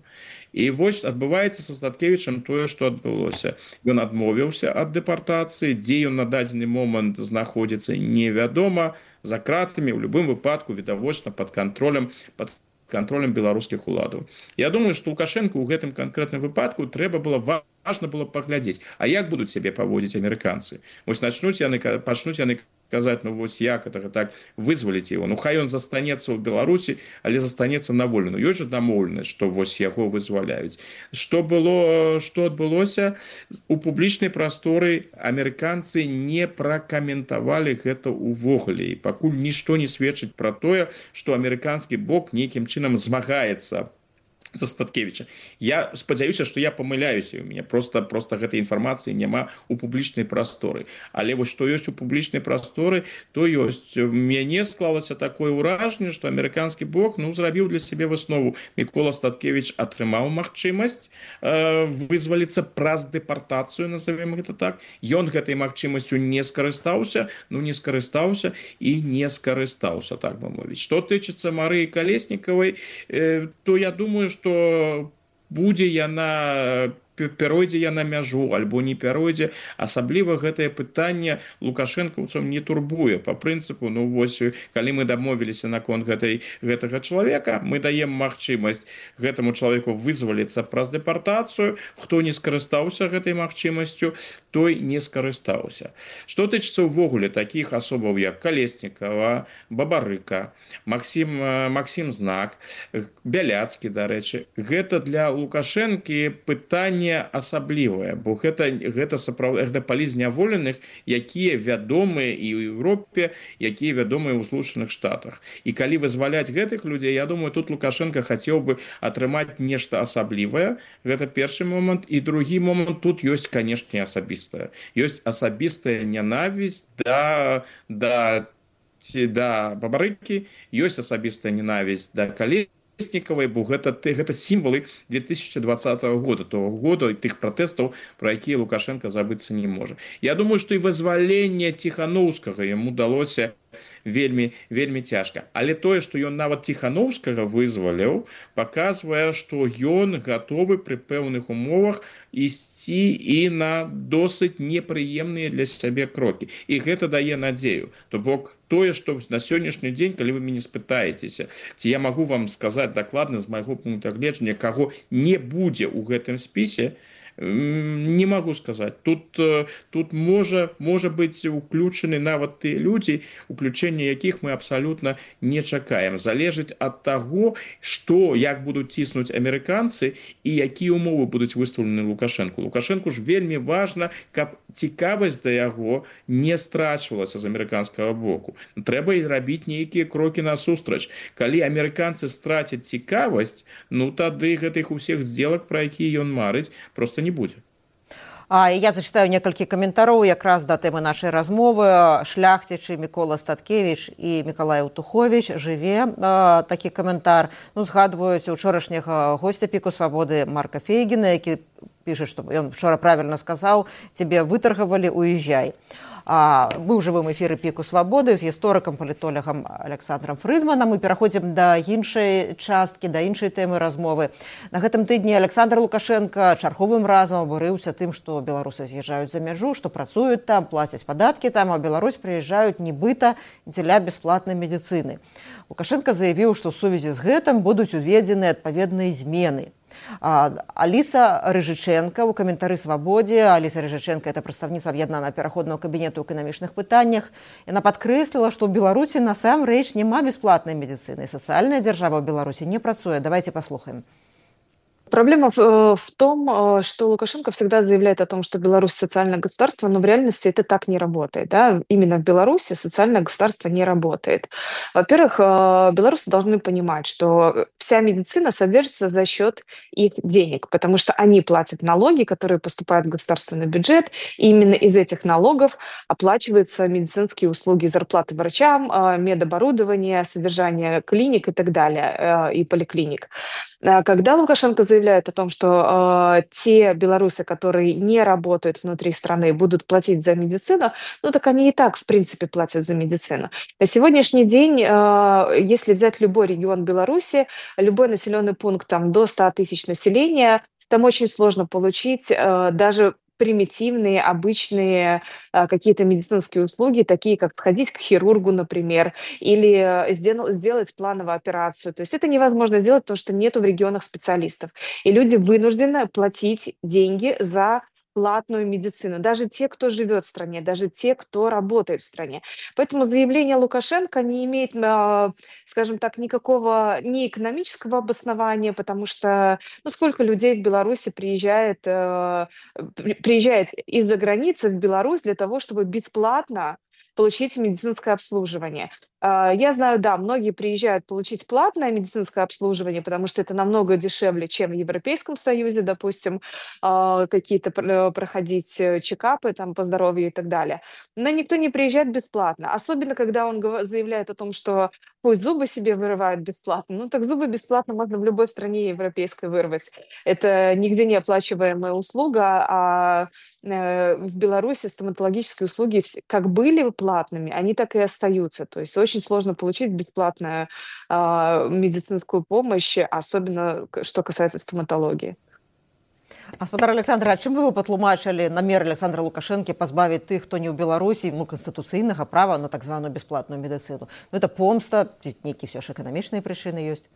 І вось адбываецца са Статкевічам тое, што адбылося. Ён адмовіўся ад дэпартацыі, дзе ён на дадзены момант знаходзіцца, невядома, за кратамі, у любым выпадку, відавочна, пад кантролем беларускіх уладаў. Я думаю, што Лукашенко ў гэтым канкрэтным выпадку важна было паглядзець, а як будуць сябе паводзіць амерыканцы. Вось пачнуць яны казаць, вось як гэта так вызваліць яго. Хай ён застанецца ў Беларусі, але застанецца на волі. Ёсць жа дамоўленасць, што вось яго вызваляюць. Што адбылося? У публічнай прасторы амерыканцы не пракаментавалі гэта ўвогуле. І пакуль нішто не сведчыць пра тое, што амерыканскі бок нейкім чынам змагаецца за Статкевича. Я спадзяюся, што я памыляюся, у мяне просто гэтай інфармацыі няма ў публічнай прасторы. Але вось што ёсць у публічнай прасторы, то ёсць. У мяне склалася такое ўражанне, што амерыканскі бок зрабіў для сябе выснову. Мікола Статкевич атрымаў магчымасць вызваліцца праз дэпартацыю, назовем гэта так. Ён гэтай магчымасцю не скарыстаўся, і не скарыстаўся, так бы мовіць. Што тычыцца Марыі Калеснікавай, то я думаю, што будзе яна, пяройдзе яна мяжу альбо не пяройдзе, асабліва гэтае пытанне лукашэнкаўцам не турбуе. Па прынцыпу, вось, калі мы дамовіліся наконт гэтага чалавека, мы даем магчымасць гэтаму чалавеку вызваліцца праз дэпартацыю, хто не скарыстаўся гэтай магчымасцю, той не скарыстаўся. Што тычыцца ўвогуле такіх асобаў, як Калеснікава, Бабарыка, Максім Знак, Бяляцкі, дарэчы, гэта для Лукашэнкі пытанне асаблівае, бо гэта палі зняволеных, якія вядомыя і ў Еўропе, якія вядомыя ў Злучаных Штатах. І калі вызваляць гэтых людзей, я думаю, тут Лукашенко хацеў бы атрымаць нешта асаблівае. Гэта першы момант. І другі момант, тут ёсць, канешне, асабістая. Ёсць асабістая нянавісць да Бабарыкі, ёсць асабістая ненавісць да Калеснікавай, бо гэта сімвалы 2020 года, того года і тых пратэстаў, пра якія Лукашенко забыцца не можа. Я думаю, што і вызваленне Ціханаўскага яму далося вельмі цяжка. Але тое, што ён нават Ціханаўскага вызваліў, паказвае, што ён гатовы пры пэўных умовах ісці і на досыць непрыемныя для сябе крокі. І гэта дае надзею. То бок тое, што на сённяшні дзень, калі вы мяне спытаецеся, ці я магу вам сказаць дакладна з майго пункту гледжання, каго не будзе ў гэтым спісе, не могу сказать. Тут можа быць уключены нават тыя людзі, уключэнне якіх мы абсалютна не чакаем. Залежыць ад таго, як будуць ціснуць амерыканцы і якія умовы будуць выстаўлены Лукашэнку. Лукашэнку ж вельмі важна, каб цікавасць да яго не страчвалася з амерыканскага боку. Трэба і рабіць нейкія крокі насустрач. Калі амерыканцы страцяць цікавасць, тады гэтых усіх здзелак, пра якія ён марыць, просто не будзе. Я зачитаю некалькі каментароў якраз да тэмы нашай размовы. Шляхцічы Мікола Статкевич і Мікалай Утухович жыве. Такі каментар. Згадваюць учорашняга госця Піку Свабоды Марка Фейгіна, які піша, што ён вчора правільна сказаў: «Цябе вытаргавалі, уезжай». Мы ў жывым эфіры Піку Свабоды з гісторыкам, палітолагам Александром Фрыдманам. Мы пераходзім да іншай часткі, да іншай тэмы размовы. На гэтым тыдні Александр Лукашенко чарговым разам абурыўся тым, што беларусы з'язджаюць за мяжу, што працуюць там, плацяць падаткі там, а ў Беларусь прыязджаюць нібыта дзеля бясплатнай медыцыны. Лукашенко заявіў, што ў сувязі з гэтым будуць уведзены адпаведныя змены. Аліса Рыжыченка у каментары «Свабодзе». Аліса Рыжыченка – это прадстаўніца аб'яднанага пераходнага кабінету ў эканамічных пытаннях. Яна падкрэсліла, што ў Беларусі насамрэч няма бясплатнай медыцыны. Сацыяльная дзяржава ў Беларусі не працуе. Давайте паслухаем. Проблема в том, что Лукашенко всегда заявляет о том, что Беларусь социальное государство, но в реальности это так не работает. Да? Именно в Беларуси социальное государство не работает. Во-первых, белорусы должны понимать, что вся медицина содержится за счет их денег, потому что они платят налоги, которые поступают в государственный бюджет, и именно из этих налогов оплачиваются медицинские услуги, зарплаты врачам, медоборудование, содержание клиник и так далее, и поликлиник. Когда Лукашенко заявляет о том, что те белорусы, которые не работают внутри страны, будут платить за медицину, так они и так, в принципе, платят за медицину. На сегодняшний день, если взять любой регион Беларуси, любой населенный пункт там, до 100 тысяч населения, там очень сложно получить даже примитивные, обычные какие-то медицинские услуги, такие как сходить к хирургу, например, или сделать плановую операцию. То есть это невозможно сделать, потому что нету в регионах специалистов. И люди вынуждены платить деньги за платную медицину. Даже те, кто живет в стране, даже те, кто работает в стране. Поэтому заявление Лукашенко не имеет, скажем так, никакого ни экономического обоснования, потому что сколько людей в Беларуси приезжает из-за границы в Беларусь для того, чтобы бесплатно получить медицинское обслуживание. Я знаю, да, многие приезжают получить платное медицинское обслуживание, потому что это намного дешевле, чем в Европейском Союзе, допустим, какие-то проходить чекапы там по здоровью и так далее. Но никто не приезжает бесплатно, особенно когда он заявляет о том, что пусть зубы себе вырывают бесплатно. Ну так зубы бесплатно можно в любой стране европейской вырвать. Это нигде не оплачиваемая услуга, а в Беларуси стоматологические услуги как были платными, они так и остаются. То есть очень сложно получить бесплатную медицинскую помощь, особенно что касается стоматологии. Гаспадар Александр, а чым бы вы патлумачылі намер Александра Лукашэнкі пазбавіць тых, хто не ў Беларусі, канстытуцыйнага права на так званую бясплатную медыцыну? Это помста, ці нейкія ўсё ж эканамічныя прычыны ёсць?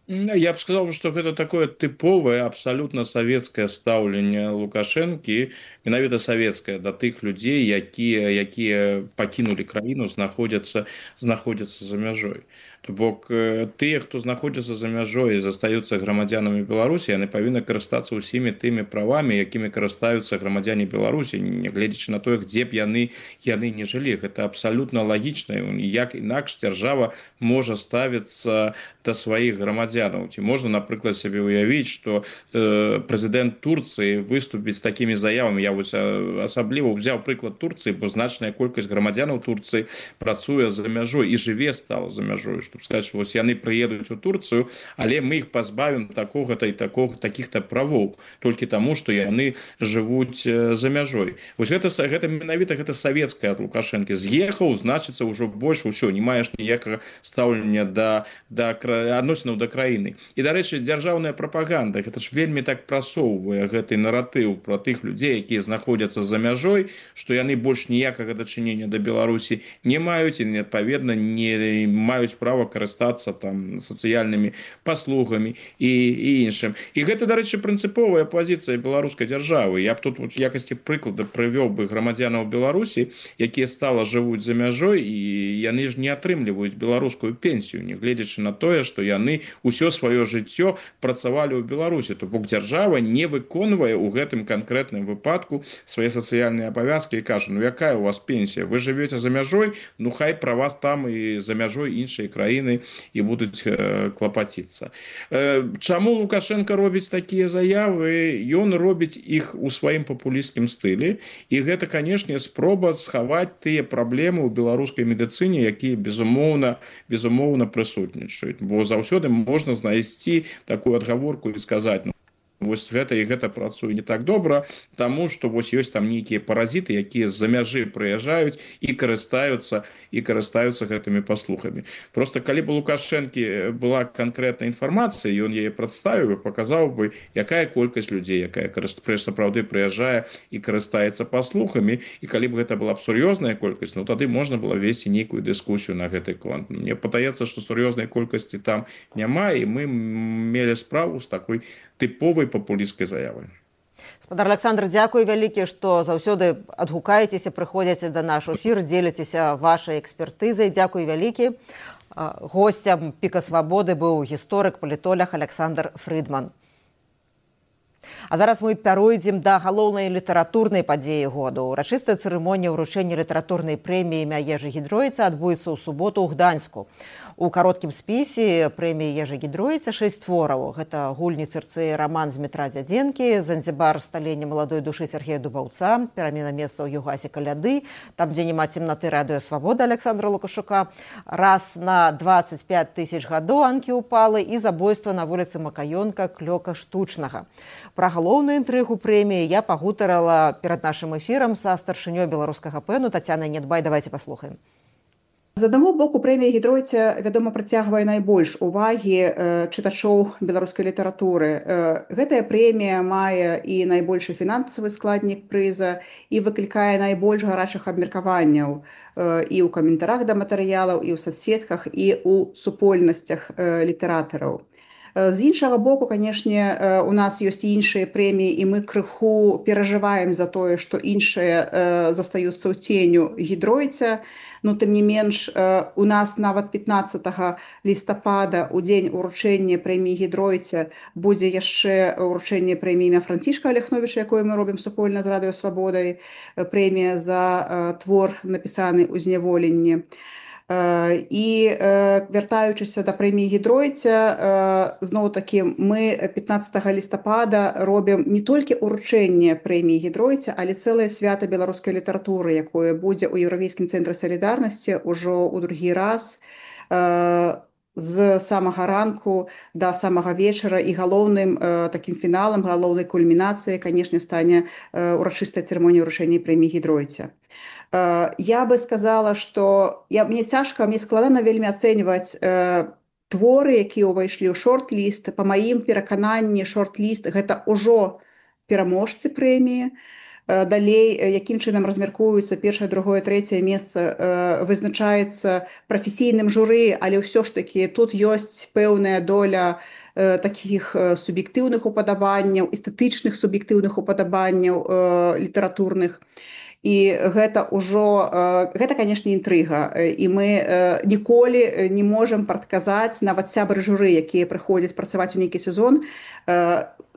Я бы сказал, что это такое типовое, абсолютно советское ставление Лукашенки, менавіта советское, до тых людей, якія покинули краіну, находятся за мяжой. То бок тыя, хто знаходзяцца за мяжой і застаюцца грамадзянамі Беларусі, яны павінны карыстацца ўсімі тымі правамі, якімі карыстаюцца грамадзяне Беларусі, нягледзячы на тое, дзе б яны не жылі. Гэта абсалютна лагічна, як інакш дзяржава можа ставіцца да сваіх грамадзянаў. Ці можна, напрыклад, сабе ўявіць, што прэзідэнт Турцыі выступіць з такімі заявамі. Я вось асабліва ўзяў прыклад Турцыі, бо значная колькасць грамадзянаў Турцыі працуе за мяжой і жыве стала за мяжой. Чтобы сказать, что вот яны приедут в Турцию, але мы их позбавим такого-то и таких-то правов, только тому, что яны живут за мяжой. Вот это менавіта гэта советская от Лукашенко. З'ехал, значится, уже больше все, не маешь ніякага стаўлення да адносінаў да краіны. І, дарэчы, дзяржаўная прапаганда, гэта ж вельмі так прасоўвае гэты наратыў про тых людзей, якія знаходзяцца за мяжой, што яны больш ніякага дачынення да Беларусі не маюць і, адпаведна, не маюць права карыстацца там сацыяльнымі паслугамі і іншым. І гэта, дарэчы, прынцыповая пазіцыя беларускай дзяржавы. Я б тут в якасці прыклада прывёў бы грамадзянаў Беларусі, якія стала жывуць за мяжой, і яны ж не атрымліваюць беларускую пенсію, нягледзячы на тое, што яны ўсё сваё жыццё працавалі ў Беларусі. То бок дзяржава не выконвае ў гэтым канкрэтным выпадку свае сацыяльныя абавязкі і кажа, ну якая у вас пенсія? Вы жывеце за мяжой, ну хай пра вас там і за мяжой іншыя краіны і будуць клапаціцца. Чаму Лукашенко робіць такія заявы? Ён робіць іх у сваім папулісцкім стылі, і гэта, канешне, спроба схаваць тыя праблемы ў беларускай медыцыне, якія безумоўна прысутнічаюць. Бо заўсёды можна знайсці такую адгаворку і сказаць, ну, вось гэта і гэта працуе не так добра, таму што вось ёсць там нейкія паразіты, якія з-за мяжы прыязджаюць і карыстаюцца гэтымі паслугамі. Просто калі б у Лукашэнкі была канкрэтная інфармацыя, ён яе прадставіў і паказаў бы, якая колькасць людзей, якая сапраўды прыязджае і карыстаецца паслугамі, і калі б гэта была б сур'ёзная колькасць, ну тады можна было весці нейкую дыскусію на гэты конт. Мне падаецца, што сур'ёзнай колькасці там няма, і мы мелі справу з такой типовой популістської заяви. Гаспадар Александр, дзякуй вялікі, што заўсёды адгукаецеся, прыходзіце да наш эфір, дзеліцеся вашай экспертызай. Дзякуй вялікі. Госцем Піка Свабоды быў гісторык, палітолог Александр Фрыдман. А зараз мы пяройдзем да галоўнай літаратурнай падзеі году. Урачыстая цырымонія ўручэння літаратурнай прэміі імя Ежы Гідройца адбудзецца ў суботу ў Гданьску. У кароткім спісе прэміі Ежы Гідройца 6 твораў. Гэта «Гульні цырцэі» раман Змітра Дзядзенкі, «Занзібар. Сталенне маладой душы» Сергея Дубаўца, «Перамена месца ў Югасе Каляды», «Там, дзе няма цемнаты» Радыё Свабода Александра Лукашука, «Раз на 25 тысяч гадоў» Анкі Упалы і «Забойства на вуліцы Макаёнка» Клёка Штучнага. Пра галоўную інтрыгу прэміі я пагутарала перад нашым эфірам са старшынёй беларускага пэну Тацянай Нядбай. Давайте паслухаем. З аднаго боку, прэмія Гідройца, вядома, прыцягвае найбольш увагі чытачоў беларускай літаратуры. Гэтая прэмія мае і найбольшы фінансавы складнік прыза і выклікае найбольш гарачых абмеркаванняў і ў каментарах да матэрыялаў, і ў соцсетках, і ў супольнасцях літаратараў. З іншага боку, канешне, у нас ёсць і іншыя прэміі, і мы крыху перажываем за тое, што іншыя застаюцца ў ценю Гідройца. Ну, тым не менш, у нас нават 15 лістапада, у дзень уручэння прэміі Гідройца, будзе яшчэ уручэнне прэміі імя Францішка Аляхновіча, якое мы робім супольна з Радыё Свабодай, прэмія за твор, напісаны ў зняволенні. І вяртаючыся да прэміі Гідройця, зноў-такі мы 15 лістапада робім не толькі ўручэнне прэміі Гідройця, але цэлае свята беларускай літаратуры, якое будзе ў Еўрапейскім цэнтры салідарнасці ўжо ў другі раз з самага ранку да самага вечара, і галоўным такім фіналам, галоўнай кульмінацыяй, канешне, стане урачыстая цырымонія ўручэння прэміі Гідройця. Я бы сказала, што мне цяжка, мне складана вельмі ацэньваць творы, якія ўвайшлі ў шорт-ліст. Па маім перакананні, шорт-ліст гэта ўжо пераможцы прэміі. Далей, якім чынам размяркуюцца першае, другое, трэцяе месца, вызначаецца прафесійным журы, але ўсё ж такі тут ёсць пэўная доля такіх суб'ектыўных упадабанняў, эстэтычных суб'ектыўных упадабанняў літаратурных. І гэта ўжо, гэта, канешне, інтрыга. І мы ніколі не можам прадказаць, нават сябры журы, якія прыходзяць працаваць у нейкі сезон,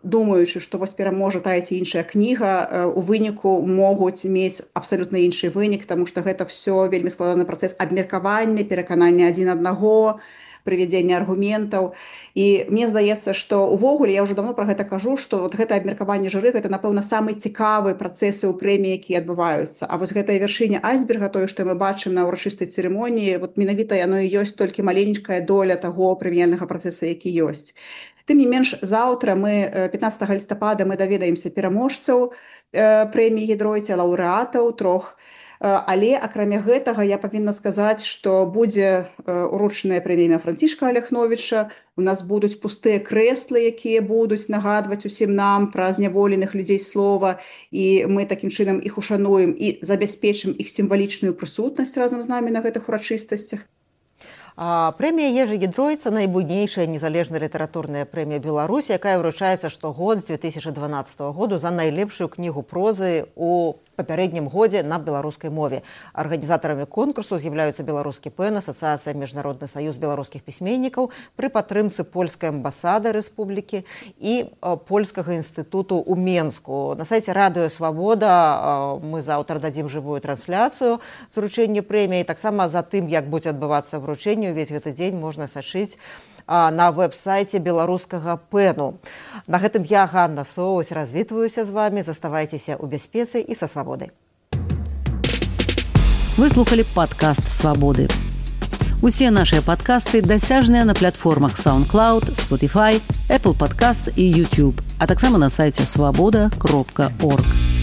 думаючы, што вось пераможа тая ці іншая кніга, у выніку могуць мець абсалютна іншы вынік, таму што гэта ўсё вельмі складаны працэс абмеркавання, пераканання адзін аднаго, прывядзення аргументаў. І мне здаецца, што увогуле, я ўжо даўно пра гэта кажу, што вот гэта абмеркаванне журы, гэта, напэўна, самы цікавы працэсы ў прэміі, якія адбываюцца. А вось гэтая вяршыня айсберга, тое, што мы бачым на ўрачыстай цырымоніі, вот менавіта яно і ёсць толькі маленькая доля таго прэміяльнага працэса, які ёсць. Тым не менш, заўтра мы 15 лістапада мы даведаемся пераможцаў прэміі Гідройця, лаўрэатаў трох. Але, акрамя гэтага, я павінна сказаць, што будзе уручаная прэмія Францішка Аляхновіча, у нас будуць пустыя крэслы, якія будуць нагадваць усім нам пра зняволеных людзей слова, і мы такім чынам іх ушануем і забяспечым іх сімвалічную прысутнасць разам з намі на гэтых урачыстасцях. Прэмія Ежы Гідройца – найбуйнейшая незалежная літаратурная прэмія Беларусі, якая вручаецца штогод з 2012 году за найлепшую кнігу прозы ў папярэднім годзе на беларускай мове. Арганізатарамі конкурсу з'яўляюцца Беларускі ПЭН, Асацыяцыя Міжнародны саюз беларускіх пісьменнікаў пры падтрымцы польскай амбасады рэспублікі і польскага інстытуту ў Менску. На сайце Радыё Свабода мы заўтра дадзім жывую трансляцыю з уручэння прэміі. Таксама за тым, як будзе адбывацца вручэнне, увесь гэты дзень можна сачыць на веб-сайце беларускага ПЭНу. На гэтым я, Ганна Соус, развітваюся з вами. Заставайцеся ў бяспецы і са свабодай. Вы слухали падкаст «Свабоды». Усе нашыя падкасты дасяжныя на платформах SoundCloud, Spotify, Apple Podcasts і YouTube, а таксама на сайце свабода.org.